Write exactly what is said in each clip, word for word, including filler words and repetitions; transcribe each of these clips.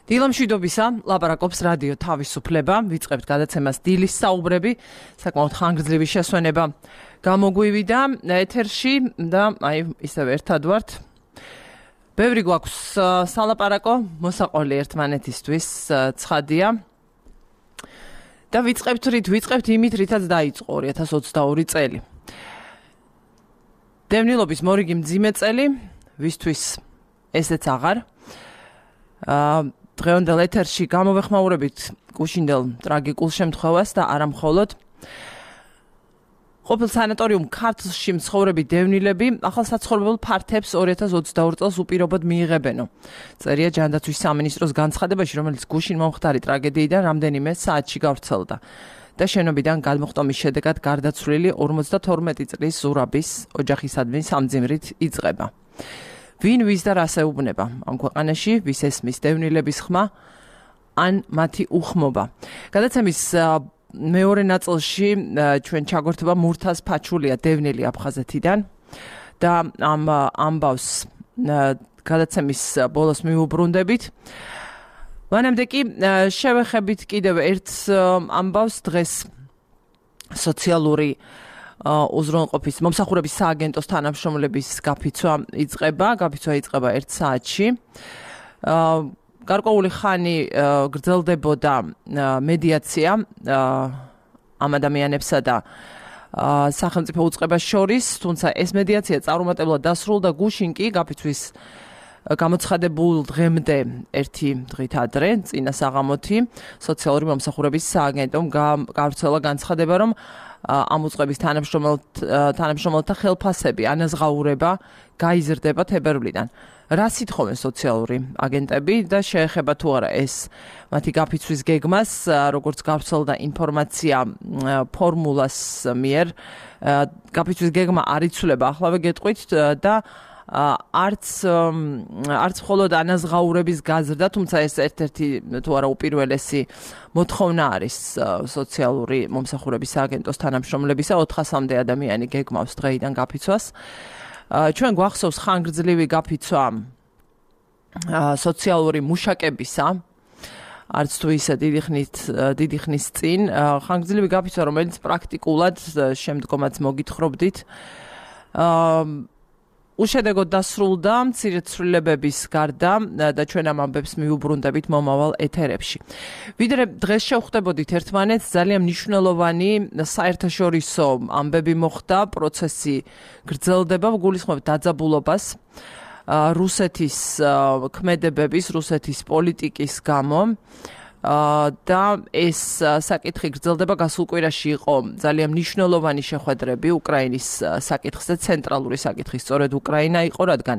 დილამშვიდობისა, ლაპარაკობს რადიო თავისუფლება, ვიწყებთ გადაცემას დილის საუბრები, საკმაოდ ხანგრძლივი შესვენება გამოგვივიდა ეთერში და აი ისევ ერთად ვართ. ბევრი გვაქვს სალაპარაკო, მოსაყოლი ერთმანეთისთვის ცხადია. და ვიწყებთ რით, ვიწყებთ იმით, რითაც დაიწყო ორი ათას ოცდაორი წელი. დევნილობის მორიგი მძიმე წელი, ვისთვის ესეც აღარ. აა დღევანდელ ეთერში გამოვეხმაურებით გუშინდელ ტრაგიკულ შემთხვევას და არა მხოლოდ. ყოფილ სანატორიუმ ქართლში მცხოვრები დევნილები ახალ საცხოვრებელ ფართებს ორი ათას ოცდაორი წელს უპირობოდ მიიღებენო. წერია ჯანდაცვის სამინისტროს განცხადებაში, რომელიც გუშინ მომხდარი ტრაგედიიდან რამდენიმე საათში გავრცელდა და შენობიდან გადმოხტომის შედეგად გარდაცვლილი ორმოცდათორმეტი წლის ზურაბის ოჯახისადმი სამძიმრით იწყება. ვინ ვის და რას ეუბნება ამ ქვეყანაში, ვის ესმის დევნილების ხმა ან მათი უხმობა. გადაცემის მეორე ნაწილში ჩვენ ჩაგვერთება მურთაზ ფაჩულია, დევნილი აფხაზეთიდან და ამ ამბავს გადაცემის ბოლოს მიუბრუნდებით. მანამდე კი შევეხებით კიდევ ერთ ამბავს. დღეს სოციალური უზრუნველყოფის მომსახურების სააგენტოს თანამშრომლების გაფიცვა იწყება, გაფიცვა იწყება ერთ საათში. გარკვეული ხანი გრძელდებოდა მედიაცია ამ ადამიანებსა და სახელმწიფო უწყებას შორის, თუმცა ეს მედიაცია წარუმატებლად დასრულდა გუშინ კი გაფიცვის გამოცხადებულ დღემდე ერთი დღით ადრე, წინა საღამოთი, სოციალური მომსახურების სააგენტომ გავრცელა განცხადება, რომ ამ უწყების თანამშრომელთა ხელფასები ანაზღაურება გაიზრდება თებერვლიდან. რა სითხოვენ სოციალური აგენტები და შეეხება თუ არა ეს მათი გაფიცვის გეგმას, როგორც გავრცელდა ინფორმაცია ფორმულას მიერ, გაფიცვის გეგმა არ იცვლება,ახლავე გეტყვით და არც არც მხოლოდ ანაზღაურების გაზრდა, თუმცა ეს ერთ-ერთი თუ არა უპირველესი მოთხოვნა არის სოციალური მომსახურების სააგენტოს თანამშრომლებისა, ოთხასამდე ადამიანი გეგმავს დღეიდან გაფიცვას. ჩვენ გვახსოვს ხანგრძლივი გაფიცვა სოციალური მუშაკებისა, არც თუ ისე დიდი ხნით დიდი ხნის წინ, ხანგრძლივი გაფიცვა, რომელიც პრაქტიკულად შემდგომაც მოგითხრობდით, უშედეგოდ დასრულდა მცირე ცვლილებების გარდა და ჩვენ ამ ამბებს მიუბრუნდებით მომავალ ეთერებში. ვიდრე დღეს შევხვდებოდით ერთმანეთს, ძალიან მნიშვნელოვანი საერთაშორისო ამბები მოხდა, პროცესი გრძელდება, გულისხმობ დაძაბულობას რუსეთის ქმედებების, რუსეთის პოლიტიკის გამო. და ეს საკითხი გრძელდება. გასულ კვირაში იყო ძალიან მნიშვნელოვანი შეხვედრები უკრაინის საკითხზე, ცენტრალური საკითხი სწორედ უკრაინა იყო, რადგან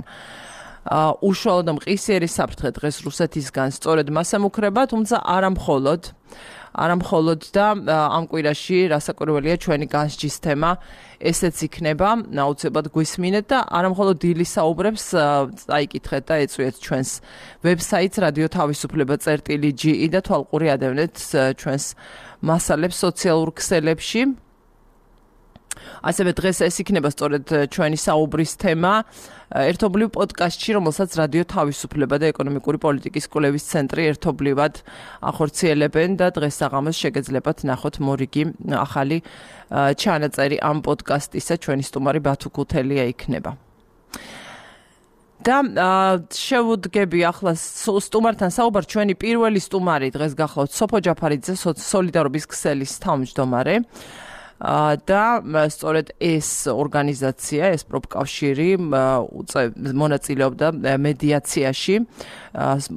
უშუალოდ და მყისიერი საფრთხე დღეს რუსეთისგან სწორედ მას ემუქრება, თუმცა არა მხოლოდ არა მხოლოდ და ამ კვირაში რასაკვირველია ჩვენი განსჯის თემა ესეც იქნება, აუცილებლად გვისმინეთ და არა მხოლოდ დილის საუბრებს წაიკითხეთ და ეწვიეთ ჩვენს ვებსაიტს რადიო თავისუფლება წერტილი ჯი ი და თვალყური ადევნეთ ჩვენს მასალებს სოციალურ ქსელებში. ასევე დღეს ეს იქნება სწორედ ჩვენი საუბრის თემა ერთობლივ პოდკასტში, რომელსაც რადიო თავისუფლება და ეკონომიკური პოლიტიკის კვლევის ცენტრი ერთობლივად ახორციელებენ და დღეს საღამოს შეგეძლებათ ნახოთ მორიგი ახალი ჩანაწერი ამ პოდკასტისა. ჩვენი სტუმარი ბათუ ქუთელია იქნება. და შევუდგები ახლა სტუმართან საუბარ. ჩვენი პირველი სტუმარი დღეს გახლავთ სოფო ჯაფარიძე, სოლიდარობის ქსელის თავმჯდომარე. და სწორედ ეს ორგანიზაცია, ეს პროფკავშირი მონაწილეობდა მედიაციაში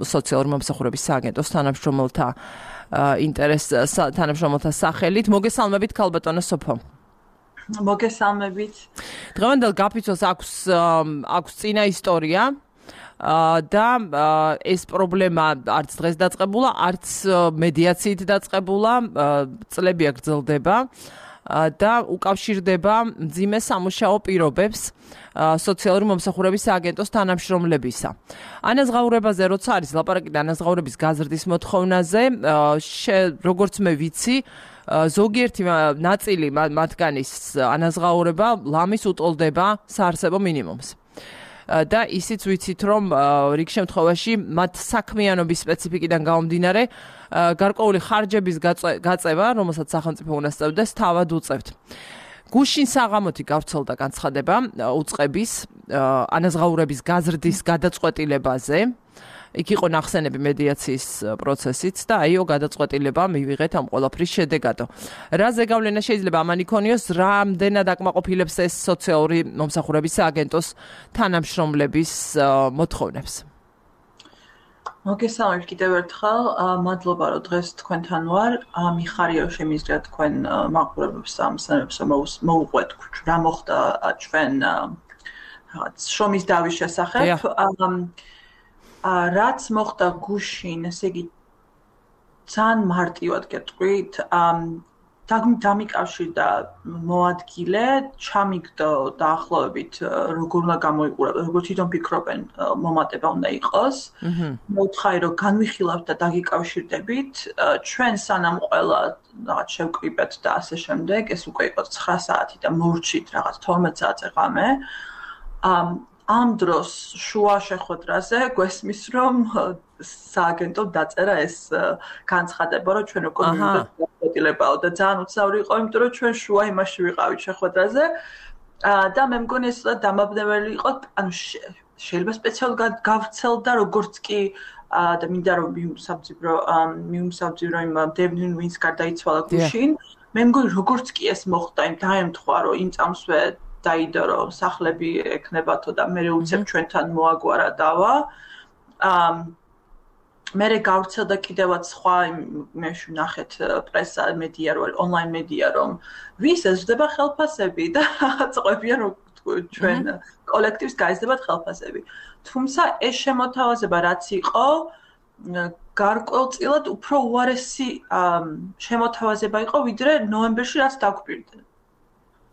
სოციალური მომსახურების სააგენტოს თანამშრომელთა ინტერეს თანამშრომელთა სახელით. მოგესალმებით ქალბატონო სოფო. მოგესალმებით. დღევანდელ გაფიცვას აქვს აქვს წინა ისტორია. და ეს პრობლემა არც დღეს დაწყებულა, არც მედიაციით დაწყებულა, წლებია გრძელდება. და უკავშირდება მძიმე სამუშაო პირობებს სოციალური მომსახურების სააგენტოს თანამშრომლებისა. ანაზღაურებაზე როცა არის ლაპარაკი ანაზღაურების გაზრდის მოთხოვნაზე, როგორც მე ვიცი, ზოგიერთი ნაწილი მათგანის ანაზღაურება ლამის უტოლდება საარსებო მინიმუმს. და ისიც ვიცით რომ რიგ შემთხვევაში მათ საქმიანობის სპეციფიკიდან გამომდინარე გარკვეული ხარჯების გაწევა, რომელსაც სახელმწიფო უნდა სწევდეს, თავად უწევთ. გუშინ საღამოთი გავრცელდა განცხადება უწყების ანაზღაურების გაზრდის გადაწყვეტილებაზე. იქ იყო ნახსენები მედიაციის პროცესიც და აიო გადაწყვეტილება მივიღეთ ამ ყველაფრის შედეგადო. რა ზეგავლენა შეიძლება ამან იქონიოს, რამდენად აკმაყოფილებს ეს სოციალური მომსახურების სააგენტოს თანამშრომლების მოთხოვნებს? მოგესალმებით კიდევ ერთხელ, მადლობა რომ დღეს თქვენთან ვარ. მიხარია რომ შემიძლია თქვენ მაყურებლებს ამსანებს მოუყვეთ რა მოხდა ჩვენ რაღაც შრომის დავის შესახებ. რაც მოხდა გუშინ, ესე იგი ძალიან მარტივად გეტყვით, დამიკავშირდა მოადგილე, ჩამიგდო დაახლოებით როგორ უნდა გამოიყურებოდეს, როგორ თვითონ ფიქრობენ მომატება უნდა იყოს. მოუთხარი რომ განვიხილავთ და დაგიკავშირდებით, ჩვენ სანამ ყველა რაღაც შევკრიბეთ და ასე შემდეგ, ეს უკვე იყო ცხრა საათი და მორჩით რაღაც თორმეტ საათზე ღამე. ამ დროს შუა შეხვედრაზე გვესმის რომ სააგენტო დაწერა ეს განცხადება რომ ჩვენ უკვე მივიდეთ გადაწყვეტილებაო და ძალიან უცნაური იყო იმიტომ რომ ჩვენ შუა იმაში ვიყავით შეხვედრაზე და მე მგონი ეს დამაბნეველი იყო ანუ შეიძლება სპეციალურად გავრცელდა როგორც კი და მინდა რომ მიუმსაბძივრო მიუმსაბძივრო იმ დევნინ ვინს გარდაიცვალა გუშინ მე მგონი როგორც კი ეს მოხდა იმ დაემთხვა რომ იმ წამსვე დაიდო რომ სახლები ექნებათო და მე უცებ ჩვენთან მოაგვარა დავა. მე გავრცელდა კიდევაც სხვა მე ვნახეთ პრესა მედია რომ ონლაინ მედია რომ ვის ეზრდება ხელფასები და წყვებიან რომ ჩვენ კოლექტივს გაიზრდებათ ხელფასები. თუმცა ეს შემოთავაზება რაც იყო გარკვეულწილად უფრო უარესი შემოთავაზება იყო ვიდრე ნოემბერში რაც დაგვპირდნენ.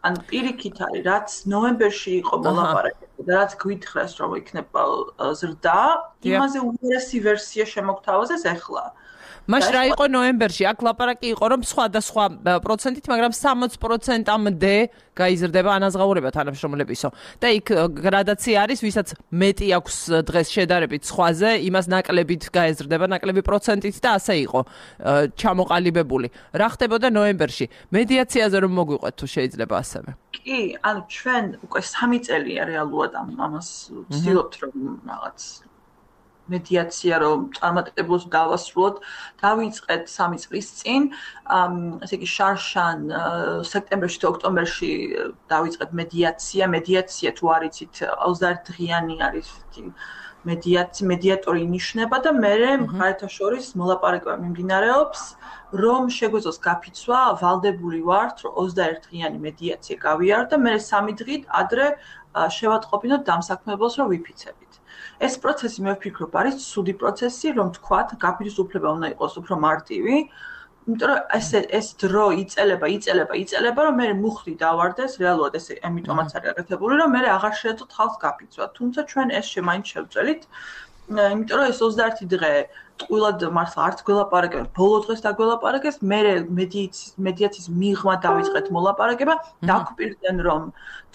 ან პირიქით არის, რაც ნოემბერში იყო მოლაპარაკება და რაც გვითხრეს რომ იქნება ზრდა, იმაზე უარესი ვერსია შემოგთავაზეს ახლა. მაშ რა იყო ნოემბერში? აქ ლაპარაკი იყო რომ სხვადასხვა პროცენტით, მაგრამ სამოცი პროცენტამდე გაიზრდება ანაზღაურება თანამშრომლებისო. და იქ გრადაცია არის, ვისაც მეტი აქვს დღეს შედარებით სხვაზე, იმას ნაკლებით გაეზრდება, ნაკლები პროცენტით და ასე იყო ჩამოყალიბებული. რა ხდებოდა ნოემბერში? მედიაციაზე რომ მოგვიყვეთ თუ შეიძლება ასევე. კი, ანუ ჩვენ უკვე სამი წელია რეალურად ამას ვცდილობთ რომ რაღაც მედიაცია რომ წარმატებულად დავასრულოთ, დავიწყეთ სამი წლის წინ, ესე იგი შარშან სექტემბერში თუ ოქტომბერში დავიწყეთ მედიაცია, მედიაცია თუ არ იცით ოცდაერთი დღიანი არის მედიაცი, მედიატორი ინიშნება და მე მხარეთა შორის მოლაპარაკება მიმდინარეობს, რომ შეგვეძლოს გაფიცვა, ვალდებული ვართ, რომ ოცდაერთი დღიანი მედიაცია გავიარო და მე სამი დღით ადრე შევატყობინოთ დამსაქმებელს, რომ ვიფიცებით. ეს პროცესი მე ვფიქრობ არის ცუდი პროცესი, რომ თქვათ, გაფიცვება უნდა იყოს უფრო მარტივი, იმიტომ რომ ეს ეს დრო იწელება, იწელება, იწელება, რომ მე მუხლი დავარდეს, რეალურად ეს ამიტომაც არის გაკეთებული, რომ მე აღარ შეეძლოთ ხალხს გაფიცვა. თუმცა ჩვენ ეს შემაინც შევწელით, იმიტომ რომ ეს ოცდაერთი დღე ტყუილად მართლა არც გველაპარაკებთ, ბოლო დღეს დაგველაპარაკეს, მე მედიაციის მედიაციის მიღმა დავიწყეთ მოლაპარაკება, დაგვპირდნენ რომ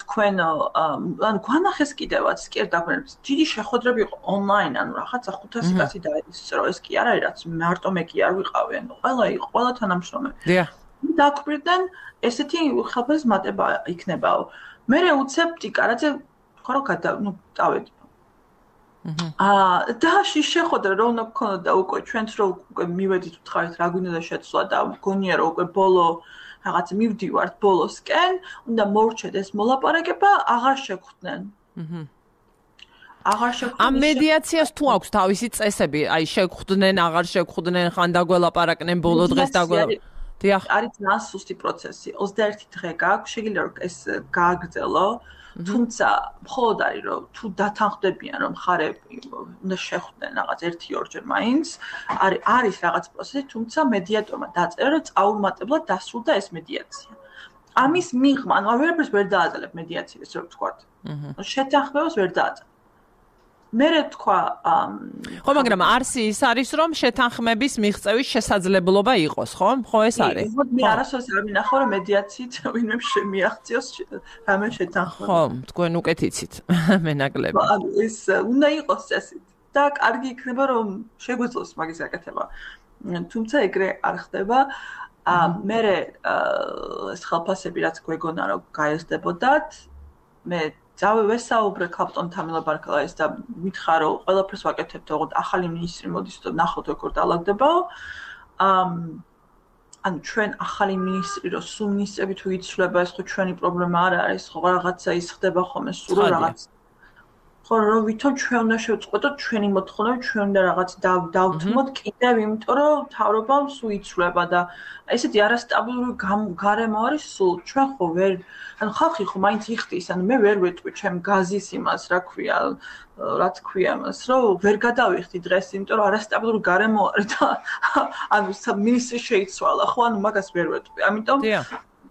თქვენ ანუ გვანახეს კიდევაც კი დაგვენებს. დიდი შეხვედრები იყო ონლაინ, ანუ რაღაცა ხუთასი კაცი დაისწრო, ეს კი არ არის რაც მარტო მე კი არ ვიყავი, ანუ ყველა იყო, ყველა თანამშრომელი. დიახ. დაგვპირდნენ ესეთი ხელფასის მატება იქნებაო. მე უცებ ტიკარაძე ხარო გადა, ნუ დავედი. აა და შეხვედრა რომ უნდა გქონოდა უკვე ჩვენც რომ უკვე მივედით ვთხარით რა გვინდა შეცვლა და მგონია რომ უკვე ბოლო რაღაც მივდივართ ბოლოსკენ, უნდა მორჩეთ ეს მოლაპარაკება, აღარ შეხვდნენ. აჰა. აღარ შეხვდნენ. ამ მედიაციას თუ აქვს თავისი წესები, აი შეხვდნენ, აღარ შეხვდნენ, ხან დაგველაპარაკნენ ბოლო დღეს დაგველაპარაკნენ. დიახ. არის ძალიან სუსტი პროცესი. ოცდაერთი დღე გაქვს, შეგიძლია რომ ეს გააგრძელო. თუმცა მხოლოდ არის რომ თუ დათანხმდებიან რომ ხარები უნდა შეხვდნენ რაღაც ერთი ორჯერ მაინც არის არის რაღაც პროცესი თუმცა მედიატორმა დაწერა რომ წაუმატებლად დასრულდა ეს მედიაცია. ამის მიღმა ანუ ვერაფერს ვერ დააძლევ მედიაციას რო ვთქვათ. შეთანხმებას ვერ დააძლევ. მერე თქვა ხო, მაგრამ არსი ის არის, რომ შეთანხმების მიღწევის შესაძლებლობა იყოს, ხო? ხო, ეს არის. ხო, მე არასოდეს არ მინახავ, რომ მედიაციით ვინმე შემიაღწიოს რამე შეთანხმება. ხო, თქვენ უკეთ იცით, მე ნაკლები. ანუ ეს უნდა იყოს წესით და კარგი იქნება, რომ შეგვეძლოს მაგის გაკეთება. თუმცა ეგრე არ ხდება. მერე ეს ხელფასები რაც გვეგონა რომ გაიზრდებოდათ, მე ძავე ვესაუბრე კაპტონ თამილა ბარკალაის და მითხრა რომ ყველაფერს ვაკეთებთ, ოღონდ ახალი მინისტრი მოდის და ნახოთ როგორ დაალაგდებაო. ანუ ჩვენ ახალი მინისტრი რო სულ მინისტრები თუ იცვლება, ეს ხო ჩვენი პრობლემა არ არის, ხო რაღაცა ის ხდება ხოლმე სულ რაღაც. ხო რომ ვითომ ჩვენ უნდა შევწყვეტოთ ჩვენი მოთხოვნები, ჩვენ უნდა რაღაც დავთმოთ კიდევ, იმიტომ რომ მთავრობამ სულ იცვლება და ესეთი არასტაბილური გარემო არის სულ. ჩვენ ხო ვერ ანუ ხალხი ხო მაინც იხდის, ანუ მე ვერ ვეტყვი ჩემ გაზის იმას, რა ქვია, რა თქვია მას, რომ ვერ გადავიხდი დღეს, იმიტომ რომ არასტაბილური გარემო არის და ანუ მინისტრი შეიცვალა, ხო, ანუ მაგას ვერ ვეტყვი. ამიტომ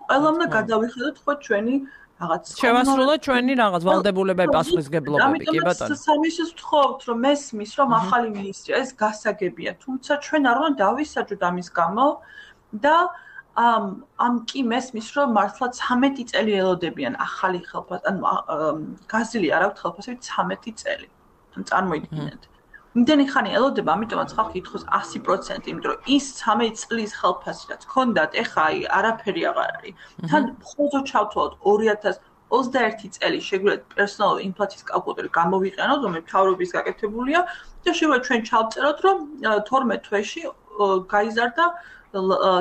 ყველამ უნდა გადავიხედოთ ხო ჩვენი რაღაც შევასრულოთ ჩვენი რაღაც ვალდებულებები, პასუხისმგებლობები, კი ბატონო. ამიტომ სამისს ვთხოვთ, რომ მესმის, რომ ახალი მინისტრია, ეს გასაგებია, თუმცა ჩვენ არ უნდა დავისაჯოთ ამის გამო და ამ ამ კი მესმის, რომ მართლა ცამეტი წელი ელოდებიან ახალი ხელფასი, ანუ გაზრდილი არ აქვს ხელფასები ცამეტი წელი. ან წარმოიდგინეთ. იმდენი ხანი ელოდება, ამიტომაც ხალხი ითხოვს ასი პროცენტი, იმიტომ რომ ის ცამეტი წლის ხელფასი რაც ჰქონდათ, ეხა აი არაფერი აღარ არის. თან მხოლოდ ჩავთვალოთ ორი ათას ოცდაერთი წელი შეგვიძლია პერსონალური ინფლაციის კალკულატორი გამოვიყენოთ, რომელიც მთავრობის გაკეთებულია და შეგვიძლია ჩვენ ჩავწეროთ, რომ თორმეტ თვეში გაიზარდა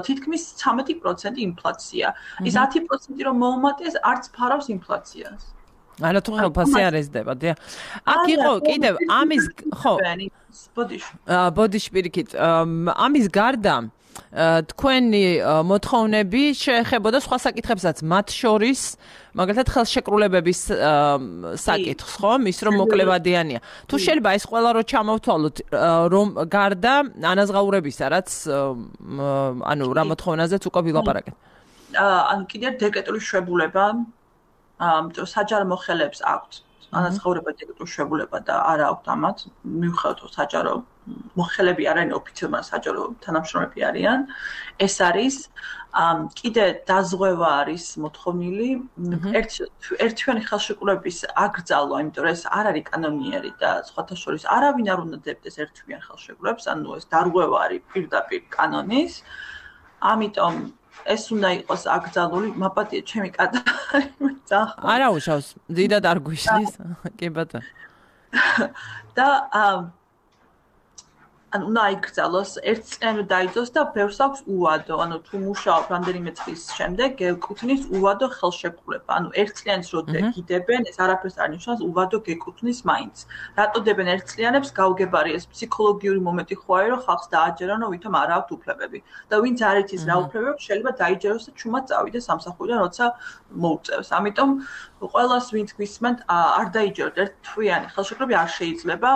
თითქმის ცამეტი პროცენტი ინფლაცია. ის ათი პროცენტი რომ მოუმატეს, არც ფარავს ინფლაციას. არა თუ ხელფასი არ ეზრდება, დიახ. აქ იყო კიდევ ამის ხო. ბოდიში. ბოდიში პირიქით. ამის გარდა თქვენი მოთხოვნები შეეხებოდა სხვა საკითხებსაც, მათ შორის მაგალითად ხელშეკრულებების საკითხს, ხო? ის რომ მოკლევადიანია. თუ შეიძლება ეს ყველა რო ჩამოვთვალოთ, რომ გარდა ანაზღაურებისა, რაც ანუ რა მოთხოვნაზეც უკვე ვილაპარაკეთ. ანუ კიდევ დეკრეტული შვებულება ამიტომ საჯარო მოხელეებს აქვთ ანაზღაურება დეკრეტული შვებულება და არ აქვთ ამათ მიუხედავად საჯარო მოხელები არ არიან ოფიციალურად საჯარო თანამშრომლები არიან ეს არის კიდე დაზღვევა არის მოთხოვნილი ერთთვიანი ხელშეკრულების აკრძალვა იმიტომ რომ ეს არ არის კანონიერი და სხვათა შორის არავინ არ უნდა დებდეს ერთთვიან ხელშეკრულებს ანუ ეს დარღვევა არის პირდაპირ კანონის ამიტომ ეს უნდა იყოს აკრძალული, მაპატია ჩემი კატარი ძახ. არა უშავს, დიდად არ გვიშლის, კი ბატონო. და ანუ უნდა იკრძალოს, ერთწლიანი დაიძოს და ბევრს აქვს უვადო, ანუ თუ მუშაობ რამდენიმე წლის შემდეგ გეკუთვნის უვადო ხელშეკრულება. ანუ ერთწლიანს რო გიდებენ, ეს არაფერს არ ნიშნავს, უვადო გეკუთვნის მაინც. რატო დებენ ერთწლიანებს? გაუგებარი ეს ფსიქოლოგიური მომენტი ხო არის, რომ ხალხს დააჯერონ, რომ ვითომ არ აქვთ უფლებები. და ვინც არ იცის რა უფლებები, შეიძლება დაიჯეროს და ჩუმად წავიდეს სამსახურიდან, როცა მოუწევს. ამიტომ ყველას ვინც გვისმენთ, არ დაიჯეროთ ერთთვიანი ხელშეკრულები არ შეიძლება.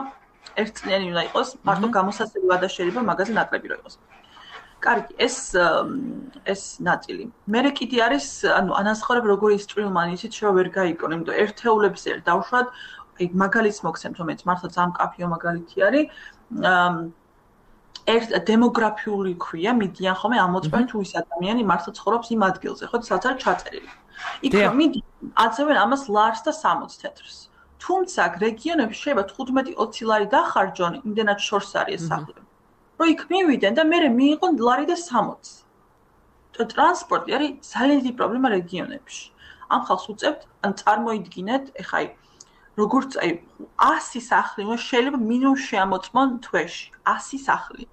ერთწლიანი უნდა იყოს, მარტო გამოსაცემი ვადა შეიძლება მაგაზე ნაკლები რო იყოს. კარგი, ეს ეს ნაწილი. მერე კიდე არის, ანუ ანაზღაურება როგორი ისტრილმანი ისიც შევა ვერ გაიგონ, იმიტომ ერთეულებს ერთ დავშვათ, აი მაგალითს მოგცემთ, რომელიც მართლა ძალიან კაფეო მაგალითი არის. ერთ დემოგრაფიული ქვია, მიდიან ხოლმე ამოწმენ თუ ის ადამიანი მართლა ცხოვრობს იმ ადგილზე, ხო, სადაც არის ჩაწერილი. იქ მიდიან, აწევენ ამას ლარს და სამოცს თეთრს. თუმცა რეგიონებში შეიძლება თხუთმეტი ოცი ლარი დახარჯონ, იმდენად შორს არის ეს სახლები. რომ იქ მივიდნენ და მერე მიიღონ ლარი და სამოცი. ტრანსპორტი არის ძალიან დიდი პრობლემა რეგიონებში. ამ ხალხს უწევთ, ან წარმოიდგინეთ, ეხა აი როგორც აი ასი სახლი, შეიძლება მინიმუმ შეამოწმონ თვეში, ასი სახლი.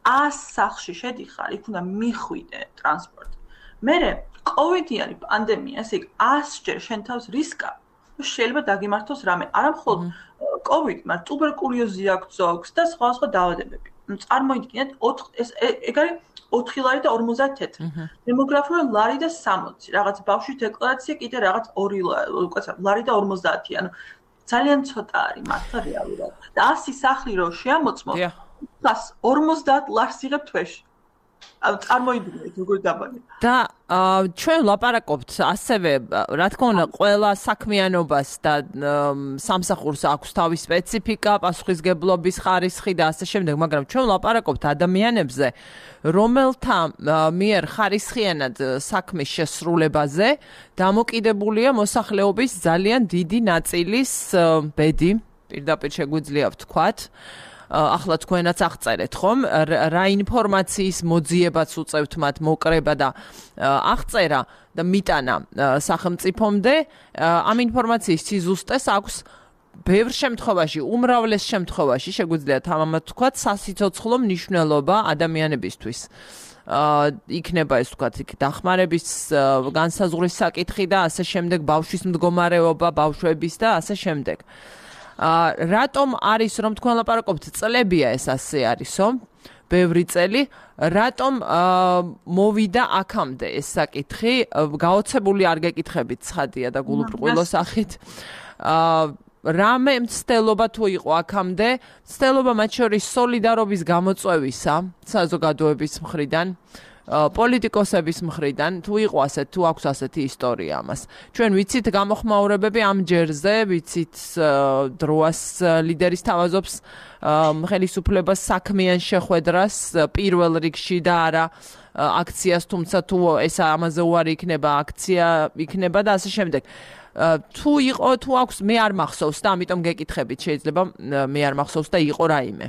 ას სახლში შედიხარ, იქ უნდა მიხვიდე ტრანსპორტი. მერე კოვიდიანი პანდემია, ესე იგი ასჯერ შენ თავს რისკა შეიძლება დაგიმართოს რამე. არა მხოლოდ კოვიდი, მაგრამ ტუბერკულოზი აქვს ზოგს და სხვა სხვა დაავადებები. წარმოიდგინეთ, ეს ეგ არის ოთხი ლარი და ორმოცდაათი თეთრი. დემოგრაფიული ლარი და სამოცი. რაღაც ბავშვის დეკლარაცია კიდე რაღაც ორი ლარი და ორმოცდაათი. ანუ ძალიან ცოტა არის მართლა რეალურად. და ასი სახლი რო შეამოწმო, ას ორმოცდაათ ლარს იღებ თვეში. წარმოიდგინეთ როგორ დაბალი. და ჩვენ ვლაპარაკობთ ასევე, რა თქმა უნდა, ყველა საქმიანობას და სამსახურს აქვს თავის სპეციფიკა, პასუხისგებლობის ხარისხი და ასე შემდეგ, მაგრამ ჩვენ ვლაპარაკობთ ადამიანებზე, რომელთა მიერ ხარისხიანად საქმის შესრულებაზე დამოკიდებულია მოსახლეობის ძალიან დიდი ნაწილის ბედი, პირდაპირ შეგვიძლია ვთქვათ. ახლა თქვენაც აღწერეთ ხომ რა ინფორმაციის მოძიებაც უწევთ მათ მოკრება და აღწერა და მიტანა სახელმწიფომდე ამ ინფორმაციის სიზუსტეს აქვს ბევრ შემთხვევაში უმრავლეს შემთხვევაში შეგვიძლია თამამად ვთქვათ სასიცოცხლო მნიშვნელობა ადამიანებისთვის იქნება ეს ვთქვათ იქ დახმარების განსაზღვრის საკითხი და ასე შემდეგ ბავშვის მდგომარეობა ბავშვების და ასე შემდეგ რატომ არის რომ თქვენ ლაპარაკობთ წლებია ეს ასე არისო ბევრი წელი რატომ მოვიდა აქამდე ეს საკითხი გაოცებული არ გეკითხებით ცხადია და გულუბრყვილო სახით რამე მცდელობა თუ იყო აქამდე მცდელობა მათ შორის სოლიდარობის გამოწვევისა საზოგადოების მხრიდან პოლიტიკოსების მხრიდან თუ იყო ასე თუ აქვს ასეთი ისტორია ამას ჩვენ ვიცით გამოხმაურებები ამ ჯერზე ვიცით დროას ლიდერის თავაზობს ხელისუფლებას საქმიან შეხვედრას პირველ რიგში და არა აქციას თუმცა თუ ეს ამაზე უარი იქნება აქცია იქნება და ასე შემდეგ თუ იყო თუ აქვს მე არ მახსოვს და ამიტომ გეკითხებით შეიძლება მე არ მახსოვს და იყო რაიმე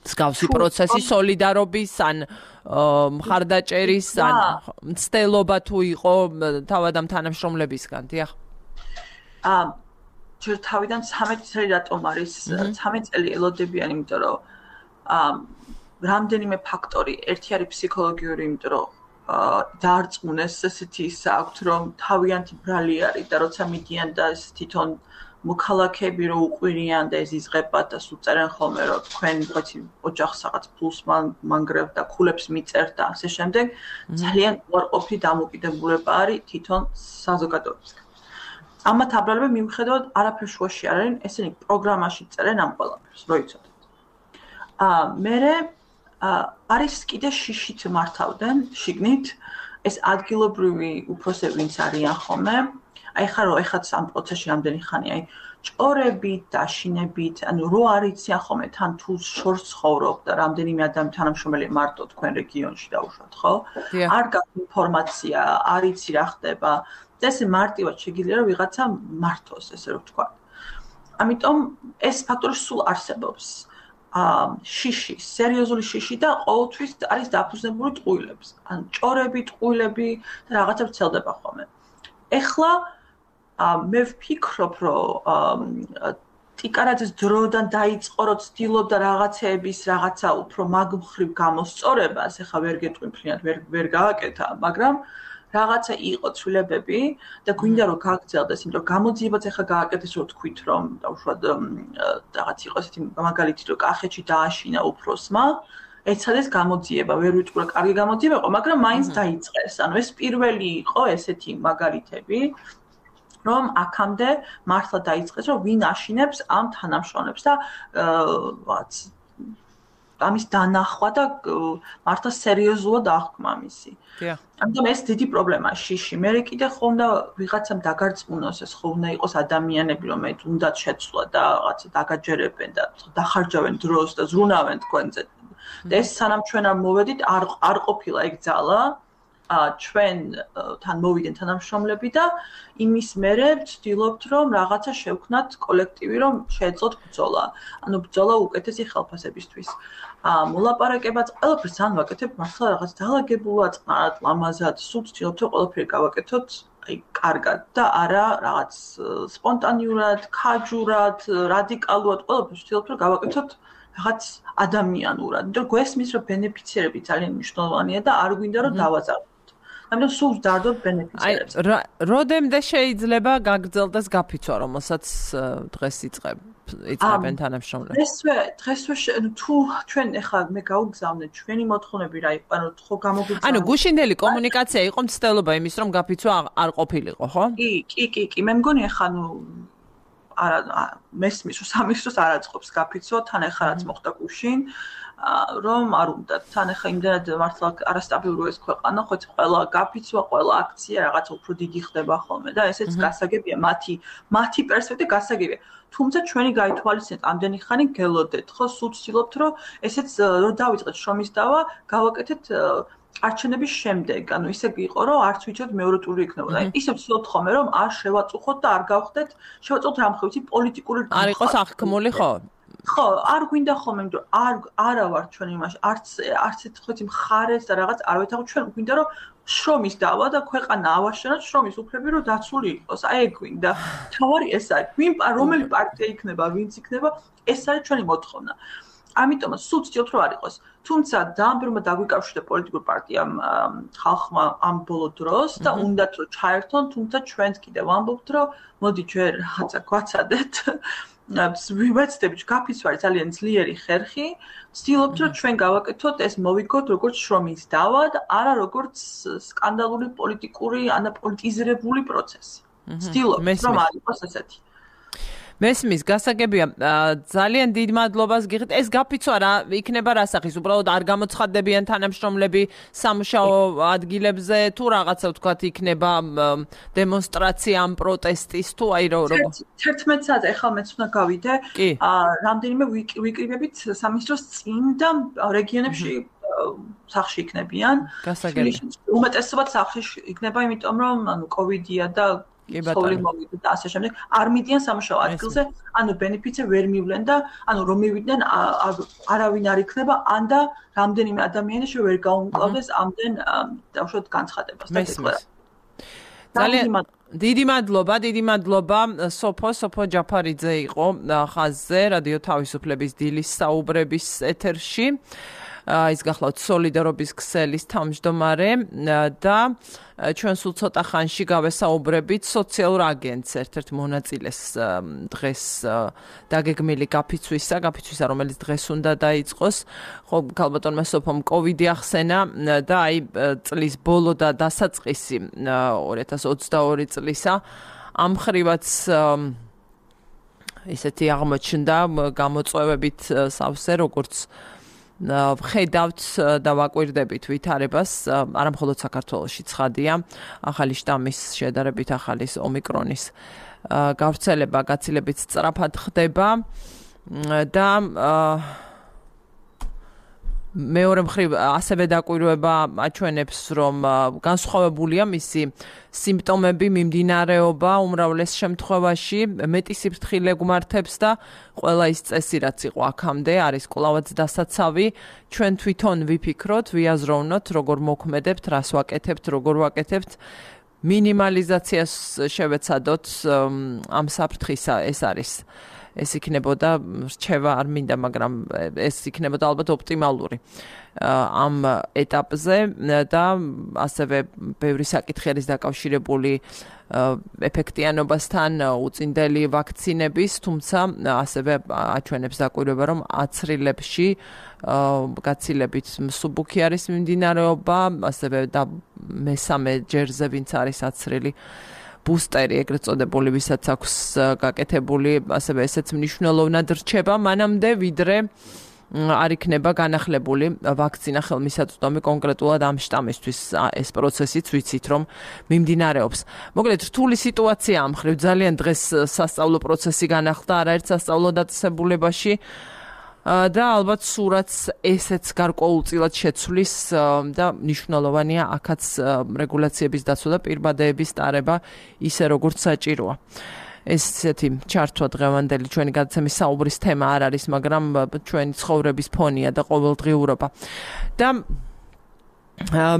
მსგავსი პროცესი სოლიდარობის ან მხარდაჭერის ან მცდელობა თუ იყო თავად ამ თანამშრომლებისგან დიახ აა ჯერ თავიდან ცამეტი წელი რატომ არის ცამეტი წელი ელოდებიან იმიტომ რომ აა რამდენიმე ფაქტორი ერთი არის ფსიქოლოგიური იმიტომ რომ დაარწმუნეს ესეთი ისა აქვთ რომ თავიანთი ბრალი არის და როცა მიდიან და ეს თვითონ მოქალაქეები რო უყვირიან და ეს იზღებათ და სულ წერენ ხოლმე რომ თქვენ ვიღაცი ოჯახს რაღაც ფულს მანგრევთ და ქულებს მიწერთ და ასე შემდეგ ძალიან უარყოფითი დამოკიდებულება არის თვითონ საზოგადოებისგან. ამათ აბრალები მიუხედავად არაფერ შუაში არ არიან, ესენი პროგრამაში წერენ ამ ყველაფერს, რო იცოდეთ. აა მერე არის კიდე შიშით მართავდნენ შიგნით ეს ადგილობრივი უფროსები ვინც არიან ხოლმე აი ხა რო ეხაც ამ პროცესში რამდენი ხანი აი ჭორებით დაშინებით ანუ რო არიციან ხოლმე თან თუ შორს ცხოვრობ და რამდენიმე ადამიანი თანამშრომელი მარტო თქვენ რეგიონში დაუშვათ ხო არ გაქვს ინფორმაცია არ იცი რა ხდება და ესე მარტივად შეგიძლია რომ ვიღაცა მართოს ესე რომ ვთქვა ამიტომ ეს ფაქტორი სულ არსებობს აა შიში სერიოზული შიში და ყოველთვის არის დაფუძნებული ტყუილებს ან ჭორები ტყუილები და რაღაცა ვრცელდება ხოლმე ეხლა მე ვფიქრობ, რომ ტიკარაძის დროდან დაიწყო, რომ ცდილობდა რაღაცეების რაღაცა უფრო მაგმხრივ გამოსწორებას, ეხლა ვერ გეტყვი მთლიანად, ვერ ვერ გააკეთა, მაგრამ რაღაცა იყო ცვლილებები და გვინდა რომ გააგრძელდეს, იმიტომ რომ გამოძიებაც ეხლა გააკეთეს, რომ თქვით, რომ დაუშვათ რაღაც იყო ესეთი მაგალითი, რომ კახეთში დააშინა უფროსმა, ეცადეს გამოძიება, ვერ ვიტყვი რა კარგი გამოძიება იყო, მაგრამ მაინც დაიწყეს. ანუ ეს პირველი იყო ესეთი მაგალითები. რომ აქამდე მართლა დაიწყეს რომ ვინ აშინებს ამ თანამშრომლებს და ვაც ამის დანახვა და მართლა სერიოზულად აღქმა მისი. ამიტომ ეს დიდი პრობლემაა შიში. მე კიდე ხომ და ვიღაცამ დაგარწმუნოს ეს ხო უნდა იყოს ადამიანები რომელიც უნდათ შეცვლა და რაღაცა დაგაჯერებენ და დახარჯავენ დროს და ზრუნავენ თქვენზე. და ეს სანამ ჩვენ არ მოვედით არ არ ყოფილა ეგ ძალა ჩვენ თან მოვიდნენ თანამშრომლები და იმის მერე ვცდილობთ რომ რაღაცა შევქნათ კოლექტივი რომ შეეძლოთ ბრძოლა. ანუ ბრძოლა უკეთესი ხელფასებისთვის. აა მოლაპარაკებაც ყველაფერს ან ვაკეთებ მართლა რაღაც დაალაგებულად, წყნარად, ლამაზად, სულ ვცდილობთ რომ ყველაფერი გავაკეთოთ აი კარგად და არა რაღაც სპონტანიურად, ქაჯურად, რადიკალურად ყველაფერს ვცდილობთ რომ გავაკეთოთ რაღაც ადამიანურად. იმიტომ რომ გვესმის რომ ბენეფიციერები ძალიან მნიშვნელოვანია და არ გვინდა რომ დავაზარდოთ. ამიტომ სულ ვდარდოთ ბენეფიციერებს. აი, როდემდე შეიძლება გაგრძელდეს გაფიცვა, რომელსაც დღეს იწყებ, იწყებენ თანამშრომლები? დღესვე, დღესვე თუ ჩვენ ეხლა მე გავგზავნეთ ჩვენი მოთხოვნები რა იყო, ანუ ხო გამოგვიძახა. ანუ გუშინდელი კომუნიკაცია იყო მცდელობა იმის, რომ გაფიცვა არ ყოფილიყო, ხო? კი, კი, კი, კი, მე მგონი ეხლა ნუ არა მესმის რომ სამის დროს არ აწყობს გაფიცვა, თან ეხლა რაც მოხდა გუშინ. რომ არ უნდა თან ახლა იმდენად მართლა არასტაბილური ეს ქვეყანა, ხო ყველა გაფიცვა, ყველა აქცია რაღაცა უფრო დიდი ხდება ხოლმე და ესეც გასაგებია მათი მათი პერსპექტივა გასაგებია. თუმცა ჩვენი გაითვალისწინეთ ამდენი ხანი გელოდეთ, ხო, სულ ვცდილობთ რომ ესეც რომ დავიწყეთ შრომის დავა, გავაკეთეთ არჩევნების შემდეგ, ანუ ისე იყო, რომ არც ვიცით მეორე ტური იქნებოდა. ისე ვცდილობთ ხოლმე, რომ არ შევაწუხოთ და არ გავხდეთ, შევაწუხოთ რამხე ვიცი პოლიტიკური არ იყოს აღქმული, ხო? ხო, არ გვინდა ხოლმე, იმიტომ არ არა ვარ ჩვენ იმაში, არც არც ეთქვით მხარეს და რაღაც არ ვეთახოთ, ჩვენ გვინდა რომ შრომის დავა და ქვეყანა ავაშენოთ, შრომის უფლები რომ დაცული იყოს. აი ეგ გვინდა. თავარი ეს არის. ვინ რომელი პარტია იქნება, ვინც იქნება, ეს არის ჩვენი მოთხოვნა. ამიტომაც სულ ვცდილობთ რომ არ იყოს. თუმცა დაამბერმა დაგვიკავშირდა პოლიტიკურ პარტიამ ხალხმა ამ ბოლო დროს და უნდათ რომ ჩაერთონ, თუმცა ჩვენც კიდევ ვამბობთ რომ მოდი ჩვენ რაღაცა გვაცადეთ. ვივეცდებით გაფიცვარი ძალიან ძლიერი ხერხი, ვცდილობთ რომ ჩვენ გავაკეთოთ ეს მოვიგოთ როგორც შრომის დავა და არა როგორც სკანდალური პოლიტიკური ანა პოლიტიზირებული პროცესი. ვცდილობთ რომ არ იყოს ესეთი. მესმის გასაგებია ძალიან დიდ მადლობას გიხდით. ეს გაფიცვა რა იქნება რასახის? უბრალოდ არ გამოცხადდებიან თანამშრომლები სამუშაო ადგილებზე თუ რაღაცა ვთქვათ იქნება დემონსტრაცია ამ პროტესტის თუ აი როგორ თერთმეტ საათზე ახლა მეც უნდა გავიდე რამდენიმე ვიკრიბებით სამინისტროს წინ და რეგიონებში სახში იქნებიან. გასაგებია. უმეტესობად სახში იქნება, იმიტომ რომ ანუ კოვიდია და სოვლი მოვიდა და ასე შემდეგ. არ მიდიან სამუშაო ადგილზე, ანუ ბენეფიტზე ვერ მივლენ და ანუ რომ მივიდნენ არავინ არ იქნება, ან და რამდენიმე ადამიანი შე ვერ გაუმკლავდეს ამდენ დავშოთ განცხადებას და ეთქვა. ძალიან დიდი მადლობა, დიდი მადლობა სოფო სოფო ჯაფარიძე იყო ხაზზე რადიო თავისუფლების დილის საუბრების ეთერში. ის გახლავთ სოლიდარობის ქსელის თავმჯდომარე და ჩვენ სულ ცოტა ხანში გავესაუბრებით სოციალურ აგენტს ერთ-ერთ მონაწილეს დღეს დაგეგმილი გაფიცვისა, გაფიცვისა რომელიც დღეს უნდა დაიწყოს. ხო, ქალბატონმა სოფომ კოვიდი ახსენა და აი წლის ბოლო და დასაწყისი ორი ათას ოცდაორი წლისა ამ ხრივაც ისეთი აღმოჩნდა გამოწვევებით სავსე როგორც ვხედავთ და ვაკვირდებით ვითარებას, არა მხოლოდ საქართველოში ცხადია, ახალი შტამის შედარებით ახალის ომიკრონის გავრცელება გაცილებით სწრაფად ხდება და მეორე მხრივ ასევე დაკვირვება აჩვენებს, რომ განსხვავებულია მისი სიმპტომები, მიმდინარეობა უმრავლეს შემთხვევაში, მეტი სიფრთხილე გვმართებს და ყველა ის წესი, რაც იყო აქამდე, არის კვლავაც დასაცავი. ჩვენ თვითონ ვიფიქროთ, ვიაზროვნოთ, როგორ მოქმედებთ, რას ვაკეთებთ, როგორ ვაკეთებთ. მინიმალიზაციას შევეცადოთ ამ საფრთხისა, ეს არის. ეს იქნებოდა რჩევა არ მინდა, მაგრამ ეს იქნებოდა ალბათ ოპტიმალური ამ ეტაპზე და ასევე ბევრი საკითხი არის დაკავშირებული ეფექტიანობასთან, უწინდელი ვაქცინების, თუმცა ასევე აჩვენებს დაკვირვება, რომ აცრილებში გაცილებით მსუბუქი არის მიმდინარეობა, ასევე და მესამე ჯერზე ვინც არის აცრილი ბუსტერი ეგრეთ წოდებული, ვისაც აქვს გაკეთებული, ასევე ესეც მნიშვნელოვნად რჩება მანამდე, ვიდრე არ იქნება განახლებული ვაქცინა ხელმისაწვდომი კონკრეტულად ამ შტამისთვის. ეს პროცესიც ვიცით, რომ მიმდინარეობს. მოკლედ, რთული სიტუაცია ამ ხრივ, ძალიან დღეს სასწავლო პროცესი განახლდა არაერთ სასწავლო დაწესებულებაში და ალბათ სურათს ესეც გარკვეულწილად შეცვლის და მნიშვნელოვანია აქაც რეგულაციების დაცვა და პირბადეების ტარება ისე როგორც საჭიროა. ესეთი ჩართვა დღევანდელი ჩვენი გადაცემის საუბრის თემა არ არის, მაგრამ ჩვენი ცხოვრების ფონია და ყოველდღიურობა. და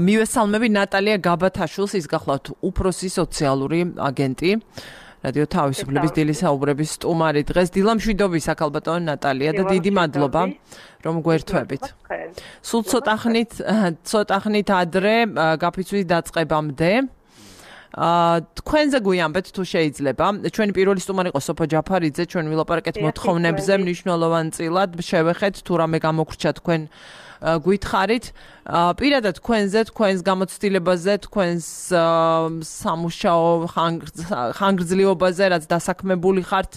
მივესალმები ნატალია გაბათაშვილს, ის გახლავთ უფროსი სოციალური აგენტი. რადიო თავისუფლების დილის საუბრების სტუმარი დღეს. დილამშვიდობისა ქალბატონო ნატალია და დიდი მადლობა რომ გვერთვებით. სულ ცოტა ხნით, ცოტა ხნით ადრე გაფიცვის დაწყებამდე თქვენზე გვიამბეთ თუ შეიძლება. ჩვენი პირველი სტუმარი იყო სოფო ჯაფარიძე, ჩვენ ვილაპარაკეთ მოთხოვნებზე მნიშვნელოვანწილად, შევეხეთ თუ რამე გამოგრჩა თქვენ გითხარით. პირადად თქვენზე, თქვენს გამოცდილებაზე, თქვენს სამუშაო ხანგრძლივობაზე, რაც დასაქმებული ხართ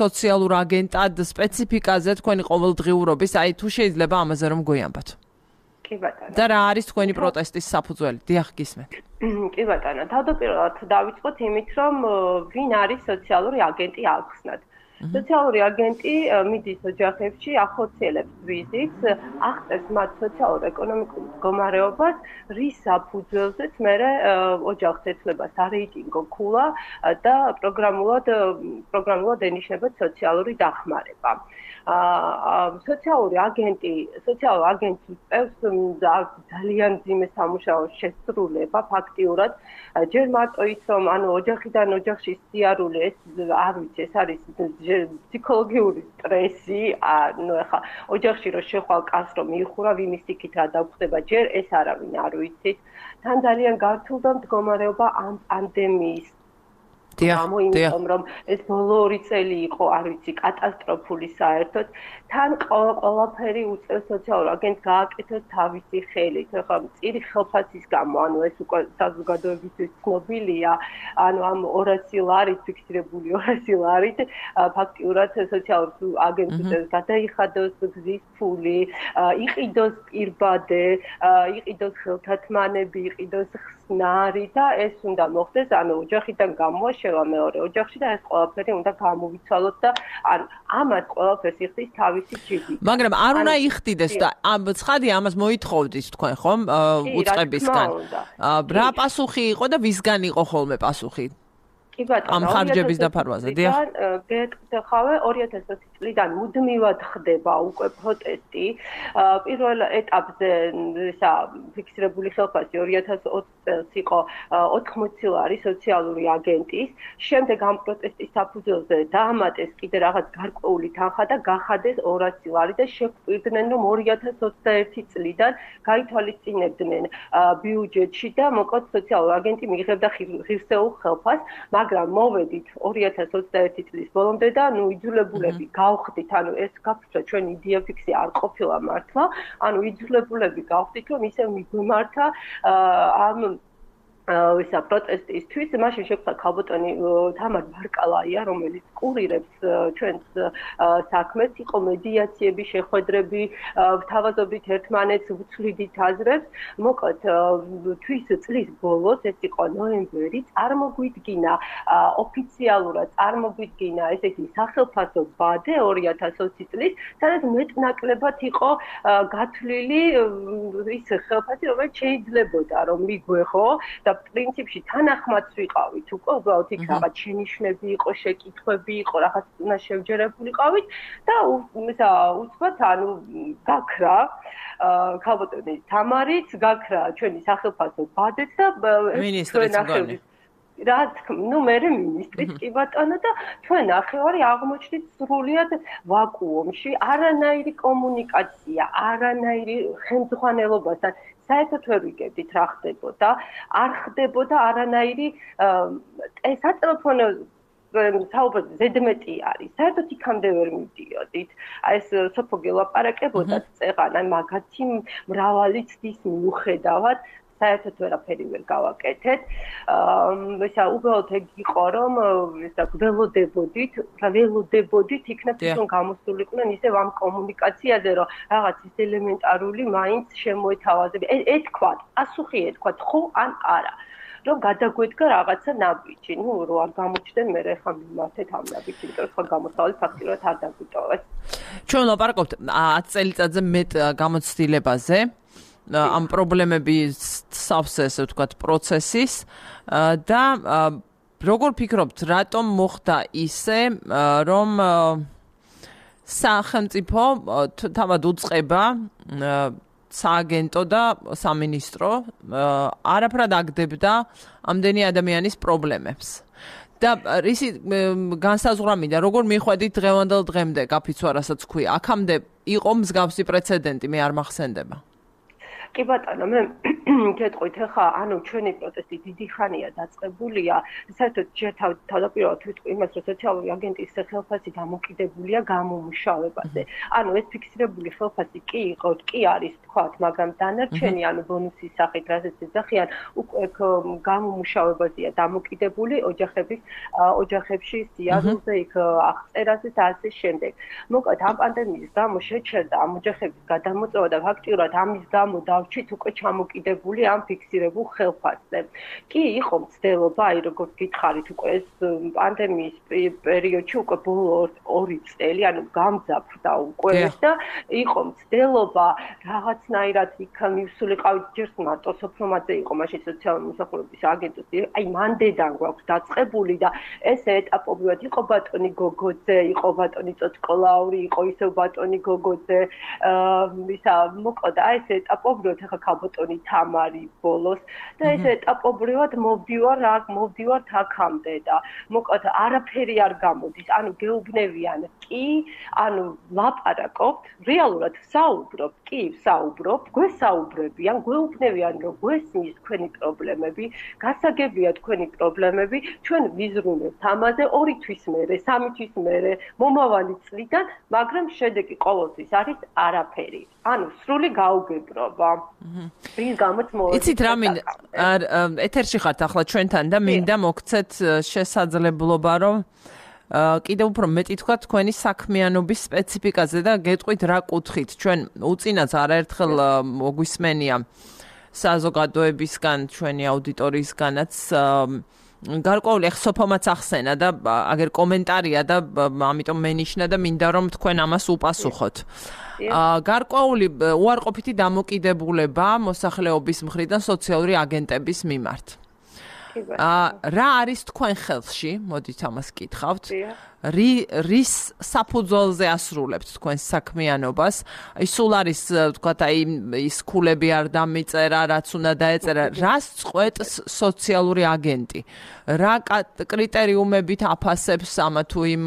სოციალურ აგენტად სპეციფიკაზე თქვენი ყოველდღიურობის, აი თუ შეიძლება ამაზე რომ გვიამბოთ. კი ბატონო. და რა არის თქვენი პროტესტის საფუძველი? დიახ, გისმენთ. კი ბატონო, თავდაპირველად დავიწყოთ იმით, რომ ვინ არის სოციალური აგენტი ახსნათ. სოციალური აგენტი მიდის ოჯახებში, ახორციელებს ვიზიტს, აღწერს მათ სოციალურ-ეკონომიკურ მდგომარეობას, რის საფუძველზეც მერე ოჯახს ეცვლება სარეიტინგო ქულა და პროგრამულად პროგრამულად ენიშნება სოციალური დახმარება. სოციალური აგენტი, სოციალური აგენტი წევს ძალიან მძიმე სამუშაოს შესრულება ფაქტიურად. ჯერ მარტო ის, რომ ანუ ოჯახიდან ოჯახში სიარული ეს არ ვიცი, ეს არის ფსიქოლოგიური სტრესი, ანუ ახლა ოჯახში რო შეხვალ კაცს რომ მიიხურა ვიმის იქით რა დაგხვდება, ჯერ ეს არავინ არ ვიცით. თან ძალიან გართულდა მდგომარეობა ამ პანდემიის დიახ, იმიტომ რომ ეს ბოლო ორი წელი იყო, არ ვიცი, კატასტროფული საერთოდ. თან ყველაფერი უწევს სოციალურ აგენტს გააკეთოს თავისი ხელით. ახლა წირი ხელფასის გამო, ანუ ეს უკვე საზოგადოებისთვის ცნობილია, ანუ ამ ორასი ლარით, ფიქსირებული ორასი ლარით, ფაქტიურად სოციალურ აგენტს გადაიხადოს გზის ფული, იყიდოს პირბადე, იყიდოს ხელთათმანები, იყიდოს ხსნარი და ეს უნდა მოხდეს, ანუ ოჯახიდან გამოაშევა მეორე ოჯახში და ეს ყველაფერი უნდა გამოვიცვალოთ და ანუ ამას ყველაფერს იხდის თავისი ჯიბი. მაგრამ არ უნდა იხდიდეს და ცხადია ამას მოითხოვდით თქვენ ხომ უწყებისგან. რა პასუხი იყო და ვისგან იყო ხოლმე პასუხი? კი ბატონო, ამ ხარჯების დაფარვაზე, დიახ. გეტყვი ორი ათას ოცი წლიდან მუდმივად ხდება უკვე პროტესტი. პირველ ეტაპზე ისა ფიქსირებული ხელფასი ორი ათას ოცი წელს იყო ოთხმოცი ლარი სოციალური აგენტის. შემდეგ ამ პროტესტის საფუძველზე დაამატეს კიდე რაღაც გარკვეული თანხა და გახადეს ორასი ლარი და შეგვიყვირდნენ რომ ორი ათას ოცდაერთი წლიდან გაითვალისწინებდნენ ბიუჯეტში და მოკლედ სოციალური აგენტი მიიღებდა ღირსეულ ხელფასს. მაგრამ მოვედით ორი ათას ოცდაერთი წლის ბოლომდე და ნუ იძულებულები გავხდით, ანუ ეს გაფრთხილდა ჩვენ იდეაფიქსი არ ყოფილა მართლა, ანუ იძულებულები გავხდით, რომ ისევ მიგვემართა ამ ისა პროტესტისთვის, მაშინ შეგვხდა ქალბატონი თამარ ბარკალაია, რომელიც კურირებს ჩვენს საქმეს, იყო მედიაციები, შეხვედრები, თავაზობდით ერთმანეთს, ვცვლიდით აზრებს. მოკლედ, თვის წლის ბოლოს, ეს იყო ნოემბერი, წარმოგვიდგინა ოფიციალურად წარმოგვიდგინა ესეთი სახელმწიფო ბადე ორი ათას ოცი წლის, სადაც მეტნაკლებად იყო გათვლილი ის ხელფასი, რომელიც შეიძლებოდა რომ მიგვეხო და პრინციპში თანახმაც ვიყავით უკვე უბრალოდ იქ რაღაც შენიშვნები იყო, შეკითხვები იყო, რაღაც უნდა შევჯერებულიყავით და ისა უცბად ანუ გაქრა ქალბატონი თამარიც, გაქრა ჩვენი სახელმწიფო ბადეც და მინისტრიც მგონი. რა თქმა, ნუ მე მინისტრიც კი ბატონო და ჩვენ ნახევარი აღმოჩნდით სრულიად ვაკუუმში, არანაირი კომუნიკაცია, არანაირი ხელმძღვანელობასთან საერთოდ ვერ ვიგებდით რა ხდებოდა, არ ხდებოდა არანაირი სატელეფონო საუბრობთ ზედმეტი არის. საერთოდ იქამდე ვერ მივდიოდით. აი ეს სოფო გელაპარაკებოდათ წეღან, აი მაგათი მრავალი ცდის მიუხედავად საერთოდ ვერაფერი ვერ გავაკეთეთ. ისა უბრალოდ ეგ იყო რომ ისა ველოდებოდით, რა ველოდებოდით იქნებ თვითონ გამოსულიყვნენ ისევ ამ კომუნიკაციაზე, რომ რაღაც ის ელემენტარული მაინც შემოეთავაზები. ეთქვათ, პასუხი ეთქვათ, ხო ან არა. რომ გადაგვედგა რაღაცა ნაბიჯი, ნუ რო არ გამოჩნდნენ მე ხა მიმართეთ ამ ნაბიჯი, იმიტომ რომ სხვა გამოსავალი ფაქტიურად არ დაგვიტოვეს. ჩვენ ვლაპარაკობთ ათი წელიწადზე მეტ გამოცდილებაზე. ამ პრობლემების სავსე, ესე ვთქვათ, პროცესის და როგორ ფიქრობთ, რატომ მოხდა ისე, რომ სახელმწიფო თავად უწყება სააგენტო და სამინისტრო არაფრად აგდებდა ამდენი ადამიანის პრობლემებს. და რისი განსაზღვრამიდა, როგორ მიხვედით დღევანდელ დღემდე, გაფიცვა რასაც ქვია, აქამდე იყო მსგავსი პრეცედენტი, მე არ მახსენდება. კი ბატონო, მე გეტყვით ახლა ანუ ჩვენი პროტესტი დიდი ხანია დაწყებულია საერთოდ ჯერ თავდაპირველად ვიტყვი იმას რომ სოციალური აგენტის ხელფასი დამოკიდებულია გამომუშავებაზე ანუ ეს ფიქსირებული ხელფასი კი იყო კი არის თქვათ მაგრამ დანარჩენი ანუ ბონუსის სახით რასაც ეძახიან უკვე გამომუშავებაზეა დამოკიდებული ოჯახების ოჯახებში სიარულზე იქ აღწერაზე და ასე შემდეგ მოკლედ ამ პანდემიის გამო შეჩერდა ამ ოჯახების გადამოწევა და ფაქტიურად ამის გამო დავჭით უკვე ჩამოკიდებული ამ ფიქსირებულ ხელფასზე. კი იყო მცდელობა, აი როგორც გითხარით უკვე ეს პანდემიის პერიოდში უკვე ბოლო ორი წელი, ანუ გამძაფრდა უკვე და იყო მცდელობა რაღაცნაირად იქ მივსულიყავით ჯერ მარტო სოფრომაძე იყო მაშინ სოციალური მოსახურების აგენტი, აი მანდედან გვაქვს დაწყებული და ეს ეტაპობრივად იყო ბატონი გოგოძე, იყო ბატონი წოწკოლაური, იყო ისევ ბატონი გოგოძე, ისა მოკლედ აი ეს ეტაპობრივად ახლა ქალბატონი თამარი ბოლოს და ეს ეტაპობრივად მოვდივარ აქ მოვდივართ აქამდე და მოკლედ არაფერი არ გამოდის ანუ გეუბნევიან კი ანუ ლაპარაკობთ რეალურად საუბრობთ კი საუბრობთ გვესაუბრებიან გვეუბნევიან რომ გვესმის თქვენი პრობლემები გასაგებია თქვენი პრობლემები ჩვენ ვიზრუნებთ ამაზე ორი თვის მერე სამი თვის მერე მომავალი წლიდან მაგრამ შედეგი ყოველთვის არის არაფერი ანუ სრული გაუგებრობა რის გამოც მოვა იცით რა მინდა ეთერში ხართ ახლა ჩვენთან და მინდა მოგცეთ შესაძლებლობა რომ კიდევ უფრო მეტი თქვა თქვენი საქმიანობის სპეციფიკაზე და გეტყვით რა კუთხით ჩვენ უწინაც არაერთხელ მოგვისმენია საზოგადოებისგან ჩვენი აუდიტორიისგანაც გარკვეული ახ სოფომაც ახსენა და აგერ კომენტარია და ამიტომ მენიშნა და მინდა რომ თქვენ ამას უპასუხოთ. გარკვეული უარყოფითი დამოკიდებულება მოსახლეობის მხრიდან სოციალური აგენტების მიმართ. რა არის თქვენ ხელში? მოდით ამას კითხავთ. რის საფუძველზე ასრულებთ თქვენ საქმიანობას? აი სულ არის თქვათ აი ის ქულები არ დამიწერა, რაც უნდა დაეწერა. რას წყვეტს სოციალური აგენტი? რა კრიტერიუმებით აფასებს ამა თუ იმ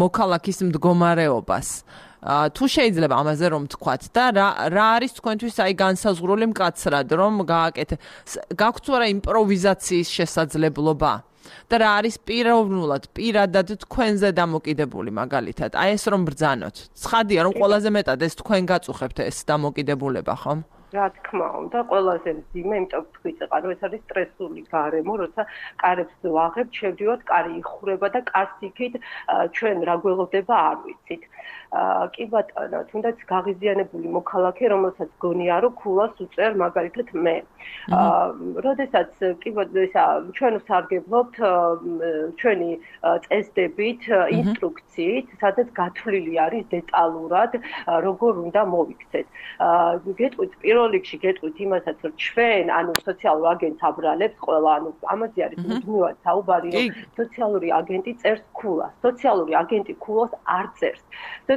მოქალაქის მდგომარეობას? თუ შეიძლება ამაზე რომ თქვათ და რა რა არის თქვენთვის აი განსაზღვრული მკაცრად რომ გააკეთე გაქვთ თუ არა იმპროვიზაციის შესაძლებლობა და რა არის პიროვნულად პირადად თქვენზე დამოკიდებული მაგალითად აი ეს რომ ბრძანოთ ცხადია რომ ყველაზე მეტად ეს თქვენ გაწუხებთ ეს დამოკიდებულება ხომ რა თქმა უნდა ყველაზე მძიმე იმიტომ ვთქვით რომ ეს არის სტრესული გარემო როცა კარებს ვაღებთ შევდივართ კარი იხურება და კარს იქით ჩვენ რა გველოდება არ ვიცით კი ბატონო თუნდაც გაღიზიანებული მოქალაქე რომელსაც გონია რომ ქულას უწერ მაგალითად მე როდესაც კი ბატონო ჩვენ ვსარგებლობთ ჩვენი წესდებით ინსტრუქციით სადაც გათვლილი არის დეტალურად როგორ უნდა მოვიქცეთ გეტყვით პირველ რიგში გეტყვით იმასაც რომ ჩვენ ანუ სოციალურ აგენტს აბრალებს ყველა ანუ ამაზე არის მუდმივად საუბარი რომ სოციალური აგენტი წერს ქულას სოციალური აგენტი ქულას არ წერს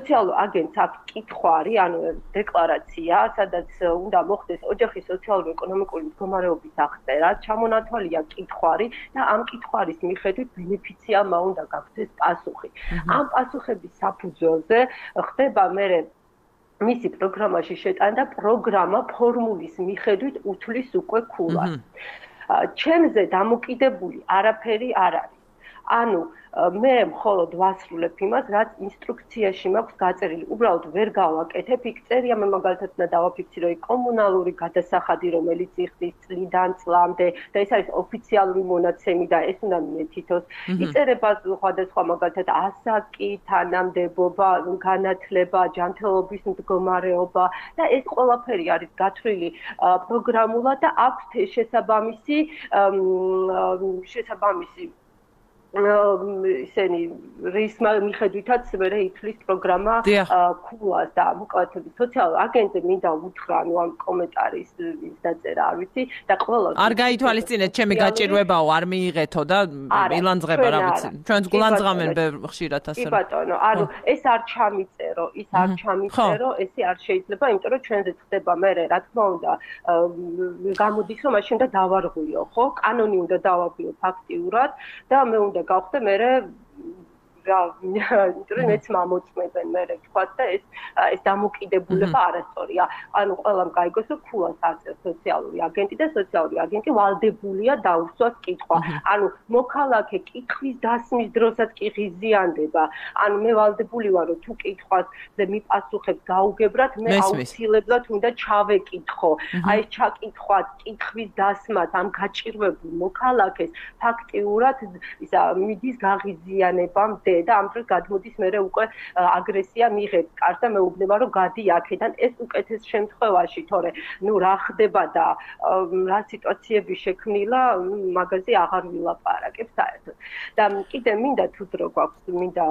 სოციალურ აგენტს აქვს კითხვარი ანუ დეკლარაცია სადაც უნდა მოხდეს ოჯახის სოციალურ-ეკონომიკური მდგომარეობის აღწერა ჩამონათვალია კითხვარი და ამ კითხვარის მიხედვით ბენეფიციარმა უნდა გაგცეს პასუხი ამ პასუხების საფუძველზე ხდება მერე მისი პროგრამაში შეტანა და პროგრამა ფორმულის მიხედვით უთვლის უკვე ქულას. ჩემზე დამოკიდებული არაფერი არ არის. ანუ მე მხოლოდ ვასრულებ იმას, რაც ინსტრუქციაში მაქვს გაწერილი. უბრალოდ ვერ გავაკეთებ, იქ წერია მე მაგალითად და დავაფიქსირო კომუნალური გადასახადი, რომელიც იხდის წლიდან წლამდე და ეს არის ოფიციალური მონაცემი და ეს უნდა მიეთითოს. იწერება სხვადასხვა მაგალითად ასაკი, თანამდებობა, განათლება, ჯანმრთელობის მდგომარეობა და ეს ყველაფერი არის გათვლილი პროგრამულად და აქვს შესაბამისი შესაბამისი ისენი რის მიხედვითაც მე ითვლის პროგრამა ქულას და მოკლედ სოციალურ აგენტზე მინდა უთხრა ანუ ამ კომენტარის დაწერა არ ვიცი და ყველა არ გაითვალისწინეთ ჩემი გაჭირვებაო არ მიიღეთო და ილანძღება რა ვიცი ჩვენს გულანძღამენ ხშირად ასე კი ბატონო ანუ ეს არ ჩამიწერო ის არ ჩამიწერო ესე არ შეიძლება იმიტომ რომ ჩვენზე ხდება მე რა თქმა უნდა გამოდის რომ მაშინ უნდა დავარღვიო ხო კანონი უნდა დავარღვიო ფაქტიურად და მე უნდა გავხდე მე რა იმიტომ რომ მეც მამოწმებენ მე თქვა და ეს ეს დამოკიდებულება არასწორია ანუ ყველამ გაიგოს რომ ქულას არწევს სოციალური აგენტი და სოციალური აგენტი ვალდებულია დაუსვას კითხვა ანუ მოქალაქე კითხვის დასმის დროსაც კი ღიზიანდება ანუ მე ვალდებული ვარ რომ თუ კითხვას მიპასუხებ გაუგებრად მე აუცილებლად უნდა ჩავეკითხო აი ეს ჩაკითხვა კითხვის დასმას ამ გაჭირვებულ მოქალაქეს ფაქტიურად ისა მიდის გაღიზიანებამდე და ამ დროს გადმოდის მერე უკვე აგრესია მიიღებს კარს და მეუბნება რომ გადი აქედან ეს უკეთეს შემთხვევაში თორე ნუ რა ხდება და რა სიტუაციები შექმნილა მაგაზე აღარ ვილაპარაკებ საერთოდ და კიდე მინდა თუ დრო გვაქვს მინდა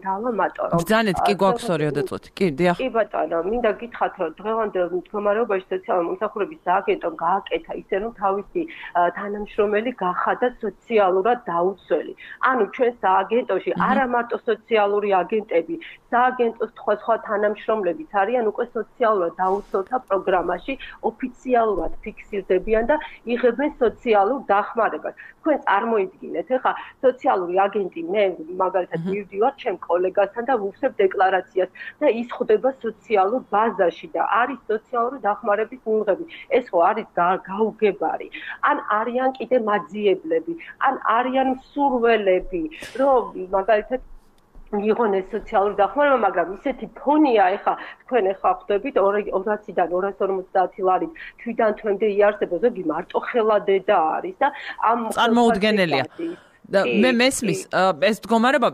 დავამატო რომ ბრძანეთ კი გვაქვს ორი წუთი კი დიახ კი ბატონო მინდა გითხრათ რომ დღევანდელ მდგომარეობაში სოციალური მომსახურების სააგენტომ გააკეთა ისე რომ თავისი თანამშრომელი გახადა სოციალურად დაუცველი ანუ ჩვენ სააგენტოში არა მარტო სოციალური აგენტები სააგენტოს სხვა სხვა თანამშრომლებიც არიან უკვე სოციალურად დაუცველთა პროგრამაში ოფიციალურად ფიქსირდებიან და იღებენ სოციალურ დახმარებას თქვენ წარმოიდგინეთ ეხლა სოციალური აგენტი მე მაგალითად მივდივარ ჩემ კოლეგასთან და ვუხსებ დეკლარაციას და ის ხვდება სოციალურ ბაზაში და არის სოციალური დახმარების მიღები ეს ხო არის გაუგებარი ან არიან კიდე მაძიებლები ან არიან მსურველები რომ მაგალითად მიიღონ ეს სოციალური დახმარება, მაგრამ ისეთი ფონია, ეხლა თქვენ ეხლა ხვდებით ორასიდან ორას ორმოცდაათი ლარით თვიდან თვემდე იარსება, ზოგი მარტო ხელადედა არის და ამ წარმოუდგენელია. მე მესმის ეს მდგომარეობა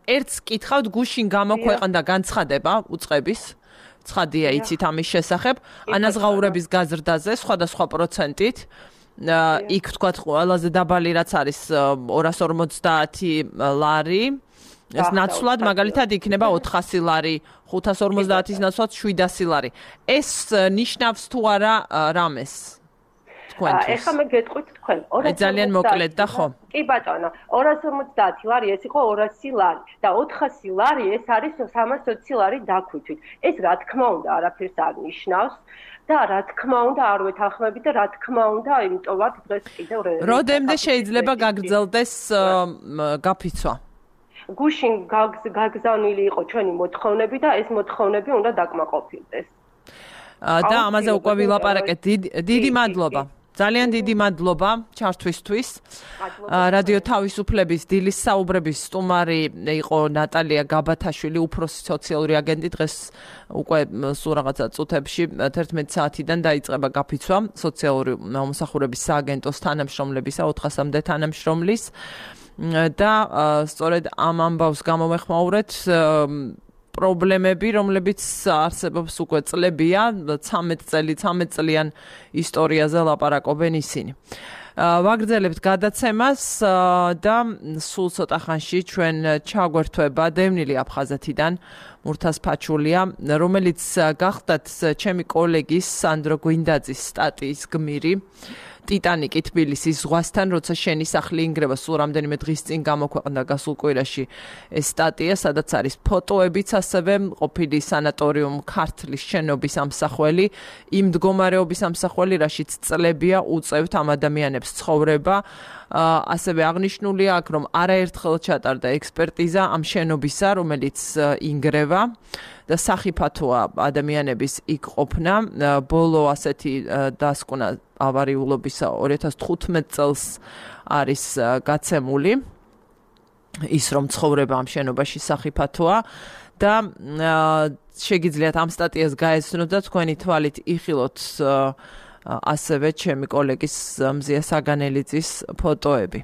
ერთს კითხავთ გუშინ გამოქვეყნდა განცხადება უწყების ცხადია იცით ამის შესახებ ანაზღაურების გაზრდაზე სხვადასხვა პროცენტით იქ თქვათ ყველაზე დაბალი რაც არის ორას ორმოცდაათი ლარი ეს ნაცვლად მაგალითად იქნება ოთხასი ლარი ხუთას ორმოცდაათის ნაცვლად შვიდასი ლარი ეს ნიშნავს თუ არა რამეს თქვენთვის ეხლა მე გეტყვით თქვენ ძალიან მოკლედ და ხო კი ბატონო ორას ორმოცდაათი ლარი ეს იყო ორასი ლარი და ოთხასი ლარი ეს არის სამასოცი ლარი დაქვითვით ეს რა თქმა უნდა არაფერს არ ნიშნავს და რა თქმა უნდა არ ვეთანხმები და რა თქმა უნდა იმიტომ ვარ დღეს კიდევ როდემდე შეიძლება გაგრძელდეს გაფიცვა გუშინ გაგზავნილი იყო ჩვენი მოთხოვნები და ეს მოთხოვნები უნდა დაკმაყოფილდეს და ამაზე უკვე ვილაპარაკეთ დიდი მადლობა ძალიან დიდი მადლობა ჩართვისთვის რადიო თავისუფლების დილის საუბრების სტუმარი იყო ნატალია გაბათაშვილი უფროსი სოციალური აგენტი დღეს უკვე სულ რაღაცა წუთებში თერთმეტი საათიდან დაიწყება გაფიცვა სოციალური მომსახურების სააგენტოს თანამშრომლებისა ოთხასამდე თანამშრომლის და სწორედ ამ ამბავს გამოვეხმაურეთ პრობლემები, რომლებიც არსებობს უკვე წლებია, ცამეტ წელი, ცამეტ წლიან ისტორიაზე ლაპარაკობენ ისინი. ვაგრძელებთ გადაცემას და სულ ცოტა ხანში ჩვენ ჩაგვერთვება დევნილი აფხაზეთიდან მურთაზ ფაჩულია, რომელიც გახდათ ჩემი კოლეგის სანდრო გვინდაძის სტატიის გმირი. ტიტანიკი თბილისის ზღვასთან, როცა შენი სახლი ინგრევა, სულ რამდენიმე დღის წინ გამოქვეყნდა გასულ კვირაში ეს სტატია, სადაც არის ფოტოებიც, ასევე ყოფილი სანატორიუმ ქართლის შენობის ამსახველი, იმ მდგომარეობის ამსახველი, რაშიც წლებია უწევთ ამ ადამიანებს ცხოვრება. ასევე აღნიშნულია აქ, რომ არაერთხელ ჩატარდა ექსპერტიზა ამ შენობისა, რომელიც ინგრევა და სახიფათოა ადამიანების იქ ყოფნა. ბოლო ასეთი დასკვნა ავარიულობისა ორი ათას თხუთმეტ წელს არის გაცემული ის რომ ცხოვრება ამ შენობაში სახიფათოა და შეგიძლიათ ამ სტატიას გაეცნოთ და თქვენი თვალით იხილოთ ასევე ჩემი კოლეგის მზია საგანელიძის ფოტოები.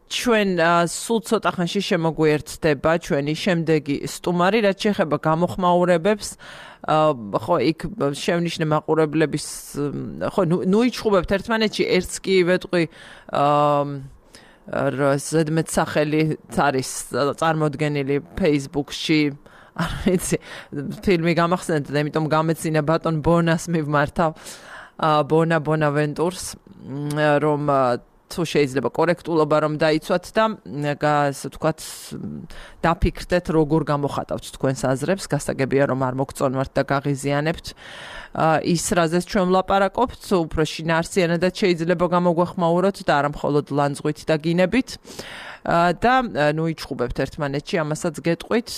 ჩვენ სულ ცოტა ხანში შემოგვიერთდება ჩვენი შემდეგი სტუმარი, რაც შეეხება გამოხმაურებებს. ხო, იქ შევნიშნე მაყურებლების ხო, ნუ იჩხუბებთ ერთმანეთში, ერთს კი ვეტყვი ზედმეტსახელით არის წარმოდგენილი Facebook-ში. არ ვიცი, ფილმი გამახსენეთ და იმიტომ გამეცინა ბატონ ბონას მივმართავ, ბონა ბონავენტურს, რომ თუ შეიძლება კორექტულობა რომ დაიცვათ და ასე ვთქვათ დაფიქრდეთ როგორ გამოხატავთ თქვენს აზრებს, გასაგებია რომ არ მოგწონვართ და გაღიზიანებთ ის რაზეც ჩვენ ვლაპარაკობთ, უფრო შინაარსიანადაც შეიძლება გამოგვეხმაუროთ და არა მხოლოდ ლანძღვით და გინებით და ნუ იჩხუბებთ ერთმანეთში, ამასაც გეტყვით.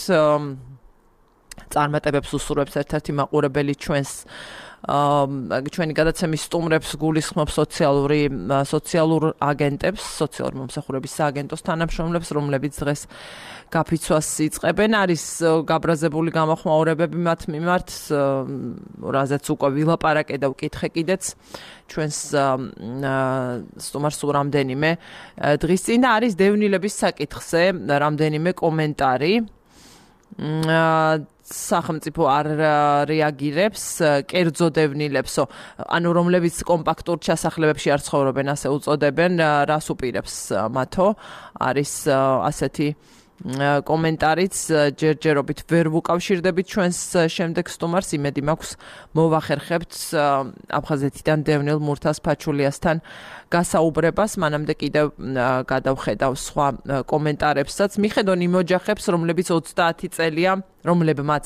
წარმატებებს უსურვებს ერთ-ერთი მაყურებელი ჩვენს ჩვენი გადაცემის სტუმრებს გულისხმობს სოციალური სოციალურ აგენტებს, სოციალური მომსახურების სააგენტოს თანამშრომლებს, რომლებიც დღეს გაფიცვას იწყებენ. არის გაბრაზებული გამოხმაურებები მათ მიმართ, რაზეც უკვე ვილაპარაკე და ვკითხე კიდეც ჩვენს სტუმარს რამდენიმე დღის წინ და არის დევნილების საკითხზე რამდენიმე კომენტარი. სახელმწიფო არ რეაგირებს კერძო დევნილებსო, ანუ რომლებიც კომპაქტურ ჩასახლებებში არ ცხოვრობენ, ასე უწოდებენ, რას უპირებს მათო, არის ასეთი კომენტარიც ჯერჯერობით ვერ ვუკავშირდებით ჩვენს შემდეგ სტუმარს, იმედი მაქვს მოვახერხებთ აფხაზეთიდან დევნილ მურთაზ ფაჩულიასთან გასაუბრებას, მანამდე კიდევ გადავხედავ სხვა კომენტარებსაც. მიხედონ იმ ოჯახებს, რომლებიც ოცდაათი წელია, რომლებმაც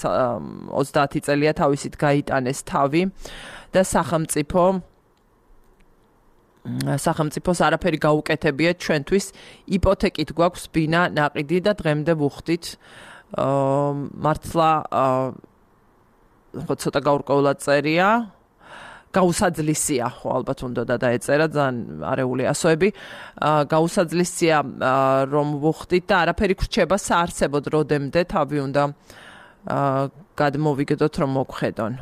ოცდაათი წელია თავისით გაიტანეს თავი და სახელმწიფო სახელმწიფოს არაფერი გაუკეთებია ჩვენთვის, იპოთეკით გვაქვს ბინა, ნაყიდი და დღემდე ვუხდით მართლა ხო ცოტა გაურკვევლად წერია, გაუსაძლისია, ხო ალბათ უნდა და დაეწერა ძალიან არეული ასოები, გაუსაძლისია რომ ვუხდით და არაფერი გრჩება საარსებოდ როდემდე თავი უნდა გადმოვიგდოთ რომ მოგხედონ.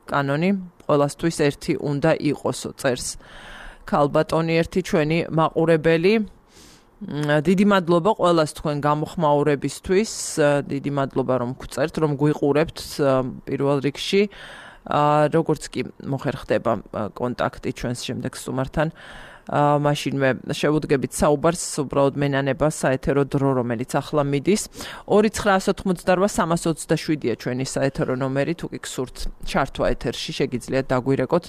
კანონი ყველასთვის ერთი უნდა იყოსო, წერს ქალბატონი ერთი ჩვენი მაყურებელი. დიდი მადლობა ყველას თქვენ გამოხმაურებისთვის, დიდი მადლობა რომ გწერთ, რომ გვიყურებთ პირველ რიგში. როგორც კი მოხერხდება კონტაქტი ჩვენს შემდეგ სტუმართან, მაშინვე შევუდგებით საუბარს, უბრალოდ მენანება საეთერო დრო, რომელიც ახლა მიდის. ორი ცხრაას ოთხმოცდარვა სამას ოცდაშვიდია ჩვენი საეთერო ნომერი, თუ კი გსურთ ჩართვა ეთერში, შეგიძლიათ დაგვირეკოთ.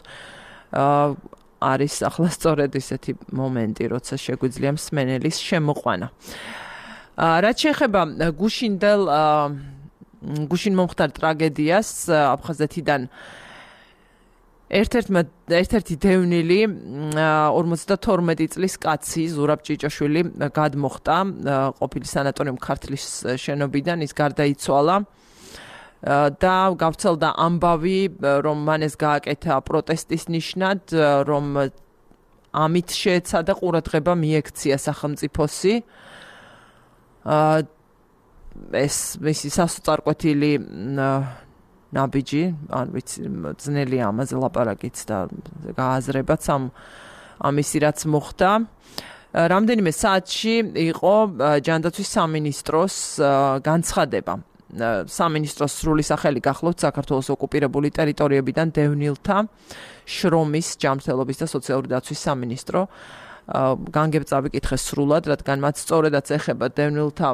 არის ახლა სწორედ ისეთი მომენტი, როცა შეგვიძლია მსმენელის შემოყვანა. რაც შეეხება გუშინდელ გუშინ მომხდარ ტრაგედიას აფხაზეთიდან ერთ-ერთმა ერთ-ერთი დევნილი ორმოცდათორმეტი წლის კაცი ზურაბ ჭიჭაშვილი გადმოხტა ყოფილი სანატორიუმ ქართლის შენობიდან, ის გარდაიცვალა და გავრცელდა ამბავი, რომ მან ეს გააკეთა პროტესტის ნიშნად, რომ ამით შეეცადა ყურადღება მიექცია სახელმწიფოსი. ეს მისი სასწარკვეთილი ნაბიჯი, არ ვიცი, ძნელია ამაზე ლაპარაკიც და გააზრებაც ამ ამისი რაც მოხდა. რამდენიმე საათში იყო ჯანდაცვის სამინისტროს განცხადება. სამინისტროს სრული სახელი გახლავთ საქართველოს ოკუპირებული ტერიტორიებიდან დევნილთა შრომის, ჯანმრთელობის და სოციალური დაცვის სამინისტრო. განგებწავი კითხე სრულად, რადგან მათ სწორედაც ეხება დევნილთა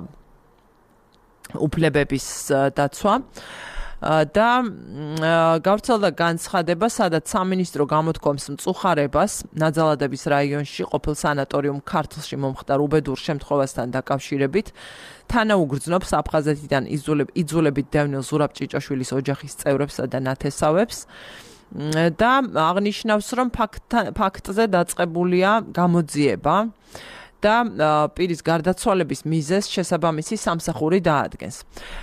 უფლებების დაცვა და გავრცელდა განცხადება, სადაც სამინისტრო გამოთქვამს მწუხარებას ნაძალადების რაიონში ყოფილ სანატორიუმ ქართლში მომხდარ უბედურ შემთხვევასთან დაკავშირებით, თანაუგრძნობს აფხაზეთიდან იძულებით დევნილ ზურაბ ჭიჭაშვილის ოჯახის წევრებსა და ნათესავებს და აღნიშნავს, რომ ფაქტზე დაწყებულია გამოძიება და პირის გარდაცვალების მიზეზს შესაბამისი სამსახური დაადგენს.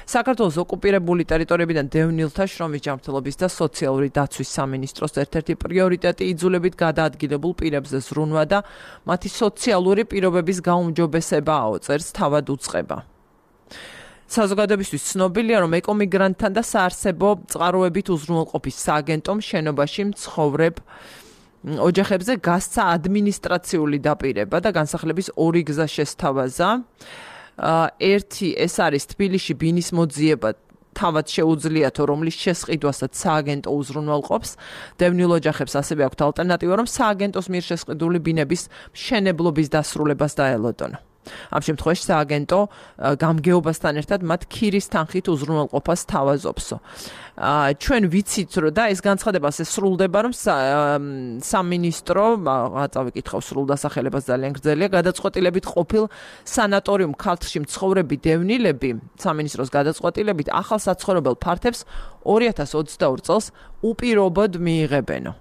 საქართველოს ოკუპირებული ტერიტორიებიდან დევნილთა შრომის, ჯანმრთელობის და სოციალური დაცვის სამინისტროს ერთ-ერთი პრიორიტეტი იძულებით გადაადგილებულ პირებზე ზრუნვა და მათი სოციალური პირობების გაუმჯობესებაა, წერს თავად უწყება. საზოგადოებისთვის ცნობილია, რომ ეკომიგრანტთან და საარსებო წყაროებით უზრუნველყოფის სააგენტომ შენობაში მცხოვრებ ოჯახებზე გასცა ადმინისტრაციული დაპირება და განსახლების ორი გზა შესთავაზა. ერთი ეს არის თბილისში ბინის მოძიება თავად შეუძლიათო, რომლის შესყიდვასაც სააგენტო უზრუნველყოფს. დევნილ ოჯახებს ასევე აქვთ ალტერნატივა, რომ სააგენტოს მიერ შესყიდული ბინების მშენებლობის დასრულებას დაელოდონ. ამ შემთხვევაში სააგენტო გამგეობასთან ერთად მათ ქირის თანხით უზრუნველყოფას თავაზობსო. ჩვენ ვიცით, რომ და ეს განცხადება ასე სრულდება, რომ სამინისტრო, წავიკითხავ სრულ დასახელებას ძალიან გრძელია, გადაწყვეტილებით ყოფილ სანატორიუმ ქართლში მცხოვრები დევნილები, სამინისტროს გადაწყვეტილებით ახალ საცხოვრებელ ფართებს ორი ათას ოცდაორი წელს უპირობოდ მიიღებენო.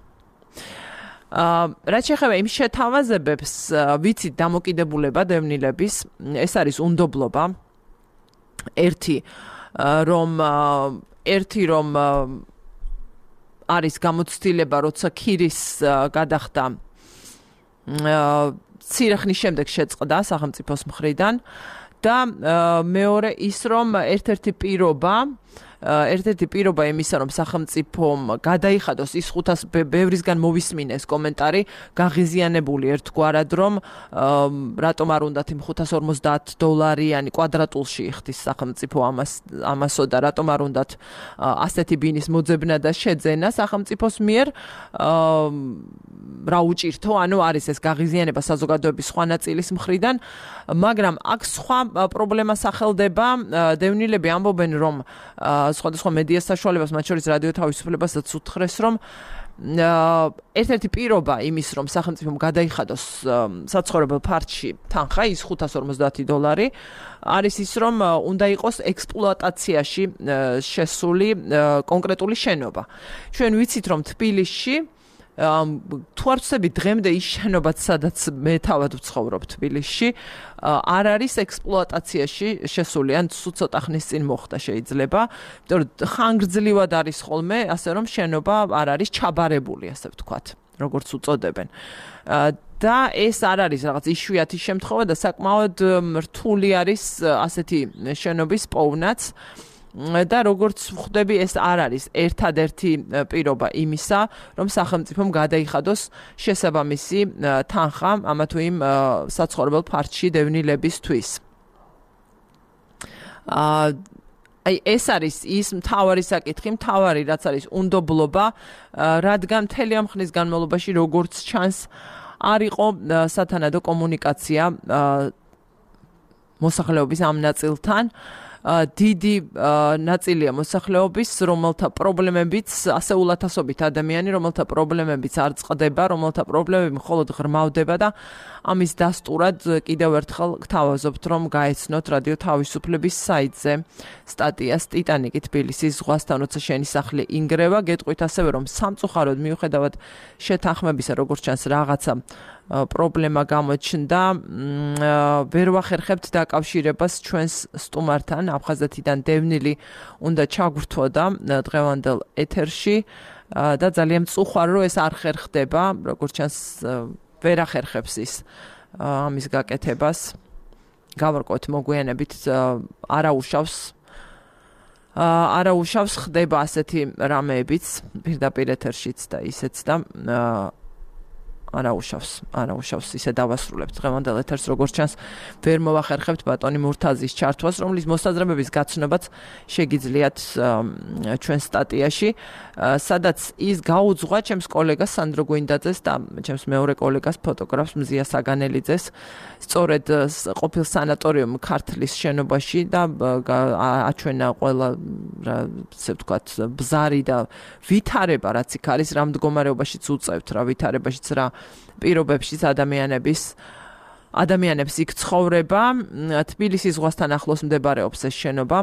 რაც შეეხება იმ შეთავაზებებს, ვიცით დამოკიდებულება დევნილების, ეს არის უნდობლობა. ერთი რომ ერთი რომ არის გამოცდილება, როცა ქირის გადახდა მცირე ხნის შემდეგ შეწყდა სახელმწიფოს მხრიდან და მეორე ის რომ ერთ-ერთი პირობა ერთ-ერთი პირობა იმისა, რომ სახელმწიფომ გადაიხადოს ის ხუთას ბევრისგან მოვისმინეს კომენტარი, გაღიზიანებული ერთგვარად, რომ რატომ არ უნდათ იმ ხუთას ორმოცდაათ დოლარიანი კვადრატულში იხდის სახელმწიფო ამას ამასო და რატომ არ უნდათ ასეთი ბინის მოძებნა და შეძენა სახელმწიფოს მიერ რა უჭირთო, ანუ არის ეს გაღიზიანება საზოგადოების სხვა ნაწილის მხრიდან, მაგრამ აქ სხვა პრობლემა სახელდება, დევნილები ამბობენ, რომ სხვადასხვა მედია საშუალებას, მათ შორის რადიო თავისუფლებასაც უთხრეს, რომ ერთ-ერთი პირობა იმის, რომ სახელმწიფომ გადაიხადოს საცხოვრებელ ფართში თანხა, ის ხუთას ორმოცდაათი დოლარი, არის ის, რომ უნდა იყოს ექსპლუატაციაში შესული კონკრეტული შენობა. ჩვენ ვიცით, რომ თბილისში თუ არ ვცდები დღემდე ის შენობაც, სადაც მე თავად ვცხოვრობ თბილისში, არ არის ექსპლუატაციაში შესული, ან ცოტა ხნის წინ მოხდა შეიძლება, იმიტომ რომ ხანგრძლივად არის ხოლმე, ასე რომ შენობა არ არის ჩაბარებული, ასე ვთქვათ, როგორც უწოდებენ. და ეს არ არის რაღაც იშვიათი შემთხვევა და საკმაოდ რთული არის ასეთი შენობის პოვნაც. და როგორც ვხვდები, ეს არ არის ერთადერთი პირობა იმისა, რომ სახელმწიფომ გადაიხადოს შესაბამისი თანხა ამა თუ იმ საცხოვრებელ ფართში დევნილებისთვის. აი ეს არის ის მთავარი საკითხი, მთავარი რაც არის უნდობლობა, რადგან მთელი ამ ხნის განმავლობაში როგორც ჩანს არ იყო სათანადო კომუნიკაცია მოსახლეობის ამ ნაწილთან. დიდი ნაწილია მოსახლეობის, რომელთა პრობლემებიც ასეულათასობით ადამიანი, რომელთა პრობლემებიც არ წყდება, რომელთა პრობლემები მხოლოდ ღრმავდება და ამის დასტურად კიდევ ერთხელ გთავაზობთ, რომ გაეცნოთ რადიო თავისუფლების საიტზე სტატიას ტიტანიკი თბილისის ზღვასთან, როცა შენი სახლი ინგრევა, გეტყვით ასევე, რომ სამწუხაროდ მიუხედავად შეთანხმებისა, როგორც ჩანს რაღაცა პრობლემა გამოჩნდა, ვერ ვახერხებთ დაკავშირებას ჩვენს სტუმართან, აფხაზეთიდან დევნილი უნდა ჩაგვრთვოდა დღევანდელ ეთერში და ძალიან მწუხვარ, რომ ეს არ ხერხდება, როგორც ჩანს ვერ ახერხებს ის ამის გაკეთებას. გავარკვევთ მოგვიანებით არაუშავს არაუშავს ხდება ასეთი რამეებიც პირდაპირ ეთერშიც და ისეც და არაუშავს, არაუშავს ისე დავასრულებთ დღევანდელ ეთერს, როგორც ჩანს, ვერ მოვახერხებთ ბატონი მურთაზის ჩართვას, რომლის მოსაზრებების გაცნობაც შეგიძლიათ ჩვენ სტატიაში, სადაც ის გაუძღვა ჩემს კოლეგას სანდრო გვინდაძეს და ჩემს მეორე კოლეგას ფოტოგრაფს მზია საგანელიძეს, სწორედ ყოფილ სანატორიუმ ქართლის შენობაში და აჩვენა ყველა, ასე ვთქვათ, ბზარი და ვითარება, რაც იქ არის, რა მდგომარეობაშიც უწევთ, რა ვითარებაშიც რა პირობებშიც ადამიანების ადამიანებს იქ ცხოვრება. თბილისის ზღვასთან ახლოს მდებარეობს ეს შენობა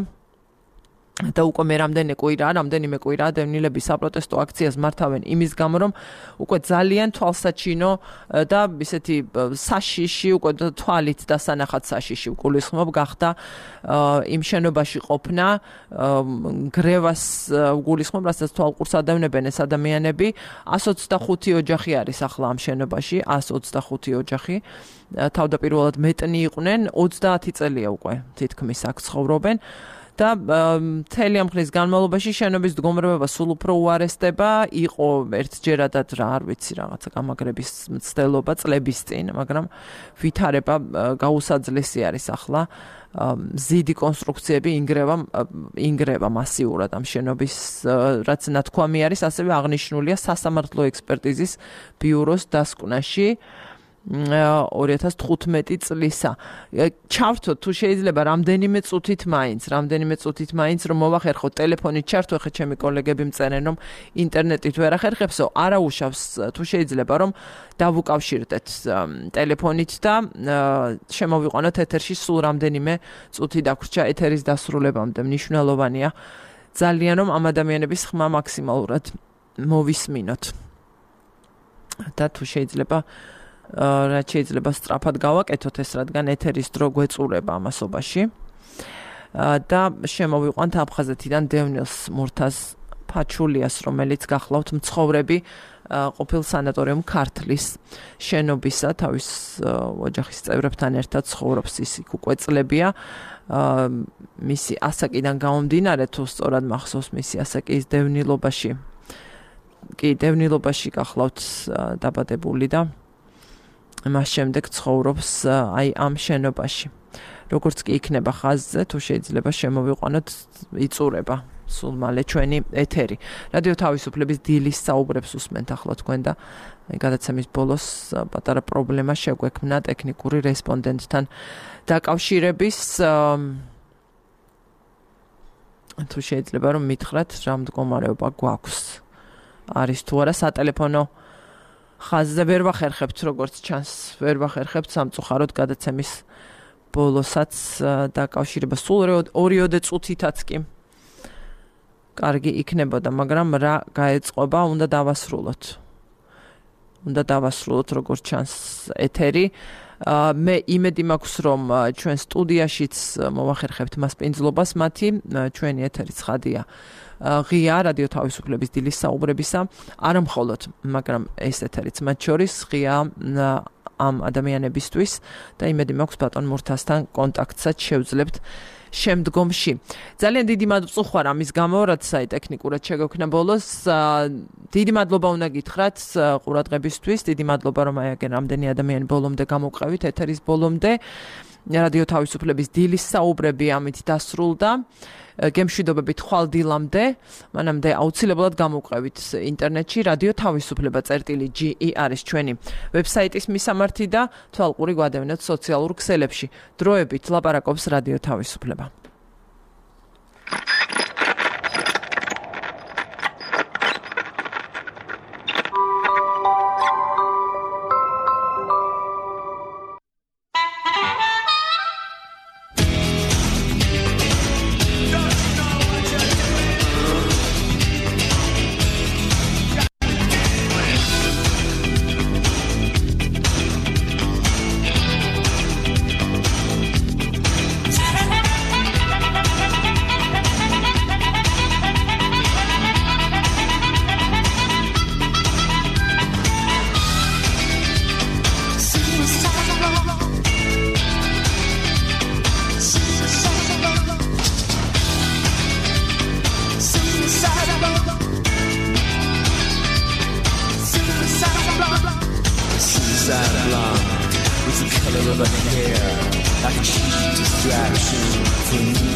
და უკვე მე რამდენი კვირა, რამდენიმე კვირა დევნილები საპროტესტო აქციას მართავენ იმის გამო, რომ უკვე ძალიან თვალსაჩინო და ისეთი საშიში, უკვე თვალით დასანახად საშიში გულისხმობ გახდა იმ შენობაში ყოფნა, გრევას გულისხმობ, რასაც თვალყურს ადევნებენ ეს ადამიანები. εκατს ოცდახუთი ოჯახი არის ახლა ამ შენობაში, εκατს ოცდახუთი ოჯახი. თავდაპირველად მეტნი იყვნენ, ოცდაათი წელია უკვე თითქმის აქ ცხოვრობენ. და მთელი ამ ხნის განმავლობაში შენობის მდგომარეობა სულ უფრო უარესდება, იყო ერთჯერადად რა არ ვიცი რაღაცა გამაგრების მცდელობა წლების წინ, მაგრამ ვითარება გაუსაძლესი არის ახლა. მზიდი კონსტრუქციები ინგრევა ინგრევა მასიურად ამ შენობის, რაც ნათქვამი არის, ასევე აღნიშნულია სასამართლო ექსპერტიზის ბიუროს დასკვნაში. ორი ათას თხუთმეტი წლისა. ჩავთოთ თუ შეიძლება რამდენიმე წუთით მაინც, რამდენიმე წუთით მაინც რომ მოვახერხოთ ტელეფონით ჩართო, ხე ჩემი კოლეგები მწერენ რომ ინტერნეტით ვერ ახერხებსო, არა უშავს თუ შეიძლება რომ დავუკავშირდეთ ტელეფონით და შემოვიყვანოთ ეთერში სულ რამდენიმე წუთი დაგვრჩა ეთერის დასრულებამდე. მნიშვნელოვანია ძალიან რომ ამ ადამიანების ხმა მაქსიმალურად მოვისმინოთ. და თუ შეიძლება რაც შეიძლება სწრაფად გავაკეთოთ ეს, რადგან ეთერის დრო გვეწურება ამასობაში. და შემოვიყვანთ აფხაზეთიდან დევნილს მურთაზ ფაჩულიას, რომელიც გახლავთ მცხოვრები ყოფილ სანატორიუმ ქართლის შენობისა, თავის ოჯახის წევრებთან ერთად ცხოვრობს, ის იქ უკვე წლებია. მისი ასაკიდან გამომდინარე, თუ სწორად მახსოვს, მისი ასაკი ის დევნილობაში. კი, დევნილობაში გახლავთ დაბადებული და მას შემდეგ ცხოვრობს აი ამ შენობაში. როგორც კი იქნება ხაზზე, თუ შეიძლება შემოვიყვანოთ, იწურება სულ მალე ჩვენი ეთერი. რადიო თავისუფლების დილის საუბრებს უსმენთ ახლა თქვენ და გადაცემის ბოლოს პატარა პრობლემა შეგვექმნა ტექნიკური რესპონდენტთან დაკავშირების. თუ შეიძლება რომ მითხრათ, რა მდგომარეობა გვაქვს. არის თუ არა სატელეფონო ხაზზე ვერ ვახერხებთ, როგორც ჩანს, ვერ ვახერხებთ სამწუხაროდ გადაცემის ბოლოსაც დაკავშირება სულ ორიოდე წუთითაც კი კარგი იქნებოდა, მაგრამ რა გაეწყობა, უნდა დავასრულოთ. უნდა დავასრულოთ, როგორც ჩანს ეთერი. მე იმედი მაქვს, რომ ჩვენ სტუდიაშიც მოვახერხებთ მასპინძლობას მათი, ჩვენი ეთერი ცხადია. ღია რადიო თავისუფლების დილის საუბრებისა, არა მხოლოდ, მაგრამ ეს ეთერიც მათ შორის ღია ამ ადამიანებისთვის და იმედი მაქვს ბატონ მურთასთან კონტაქტსაც შევძლებთ შემდგომში. ძალიან დიდი მადლობა ამის გამო, რაც აი ტექნიკურად შეგვექნა ბოლოს. დიდი მადლობა უნდა გითხრათ ყურადღებისთვის, დიდი მადლობა რომ აი აგენ რამდენი ადამიანი ბოლომდე გამოვყევით ეთერის ბოლომდე. რადიო თავისუფლების დილის საუბრები ამით დასრულდა. გემშვიდობებით ხვალ დილამდე, მანამდე აუცილებლად გამოვყევით ინტერნეტში რადიო თავისუფლება წერტილი ჯი ი არის ჩვენი ვებსაიტის მისამართი და თვალყური გვადევნეთ სოციალურ ქსელებში. დროებით ლაპარაკობს რადიო თავისუფლება. From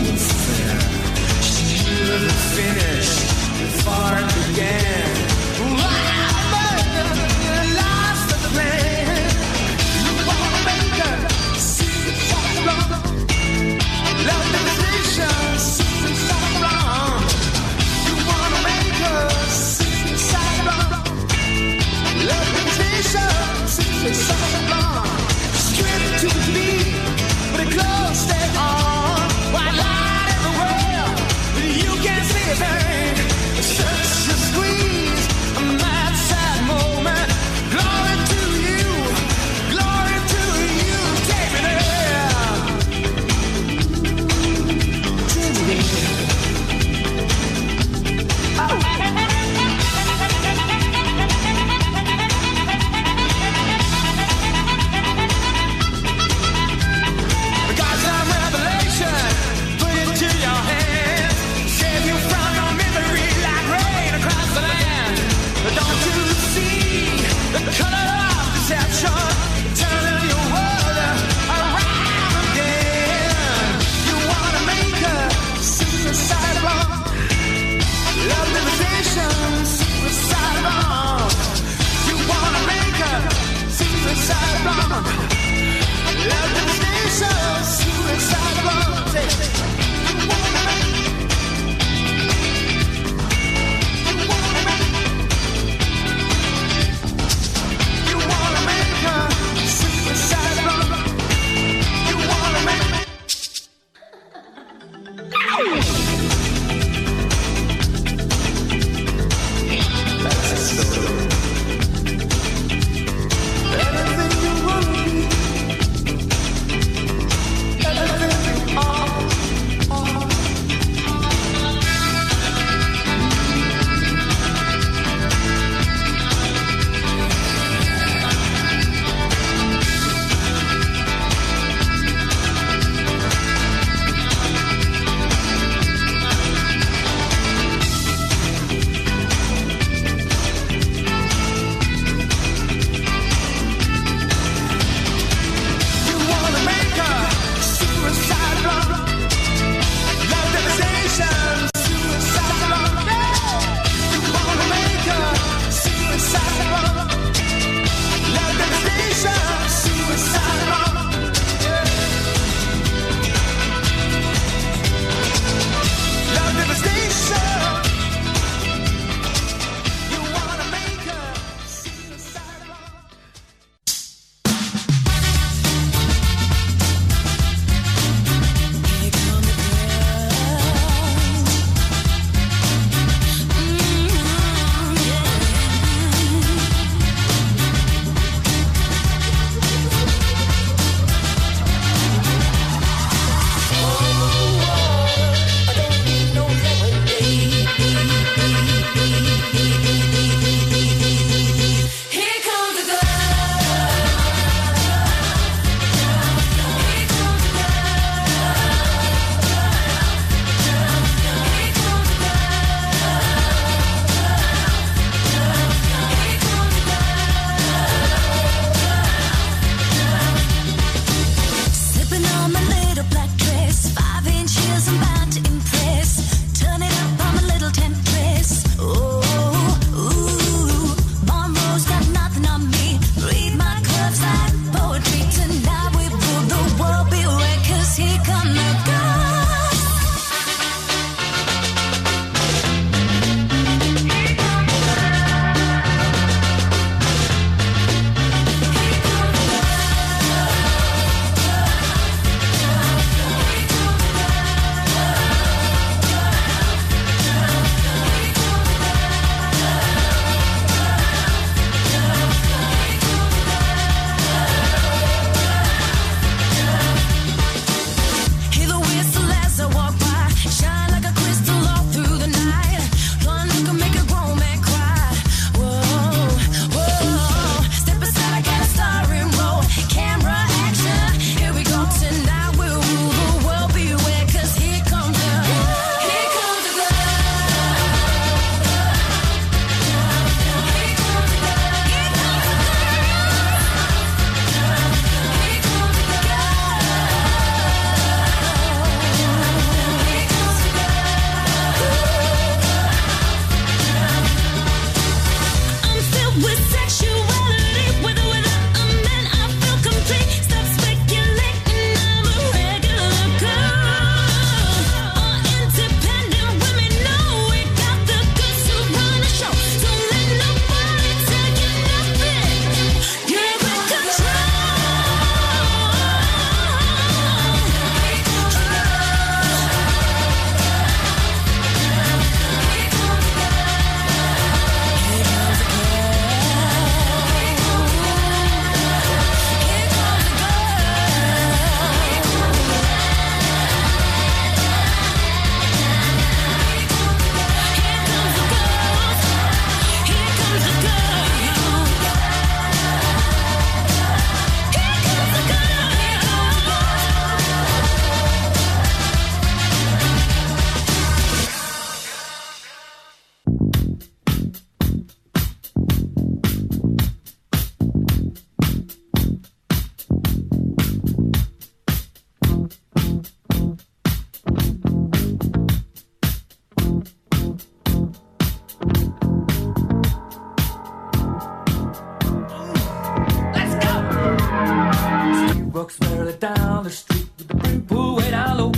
walks merrily down the street with the brim pulled way down low.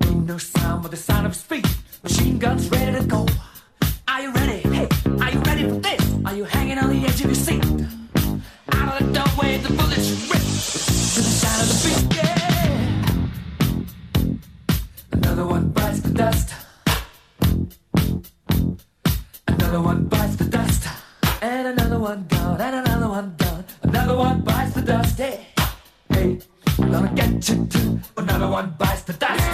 Ain't no sound but the sound of his feet. Machine guns ready to go. Are you ready? Hey, are you ready for this? Are you hanging on the edge of your seat? Out of the doorway, the bullets rip to the sound of the beat. Yeah. Another one bites the dust. Another one bites the dust. And another one gone. And another one gone. Another one bites the dust. Hey, hey, I'm gonna get you too. Another one bites the dust.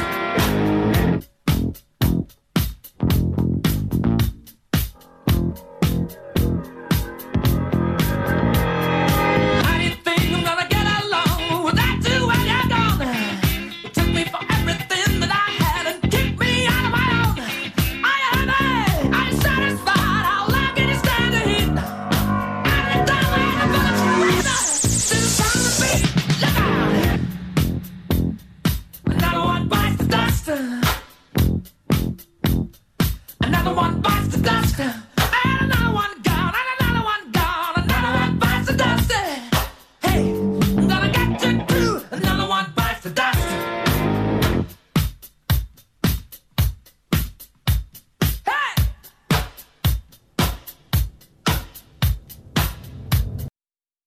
Another one bites the dust.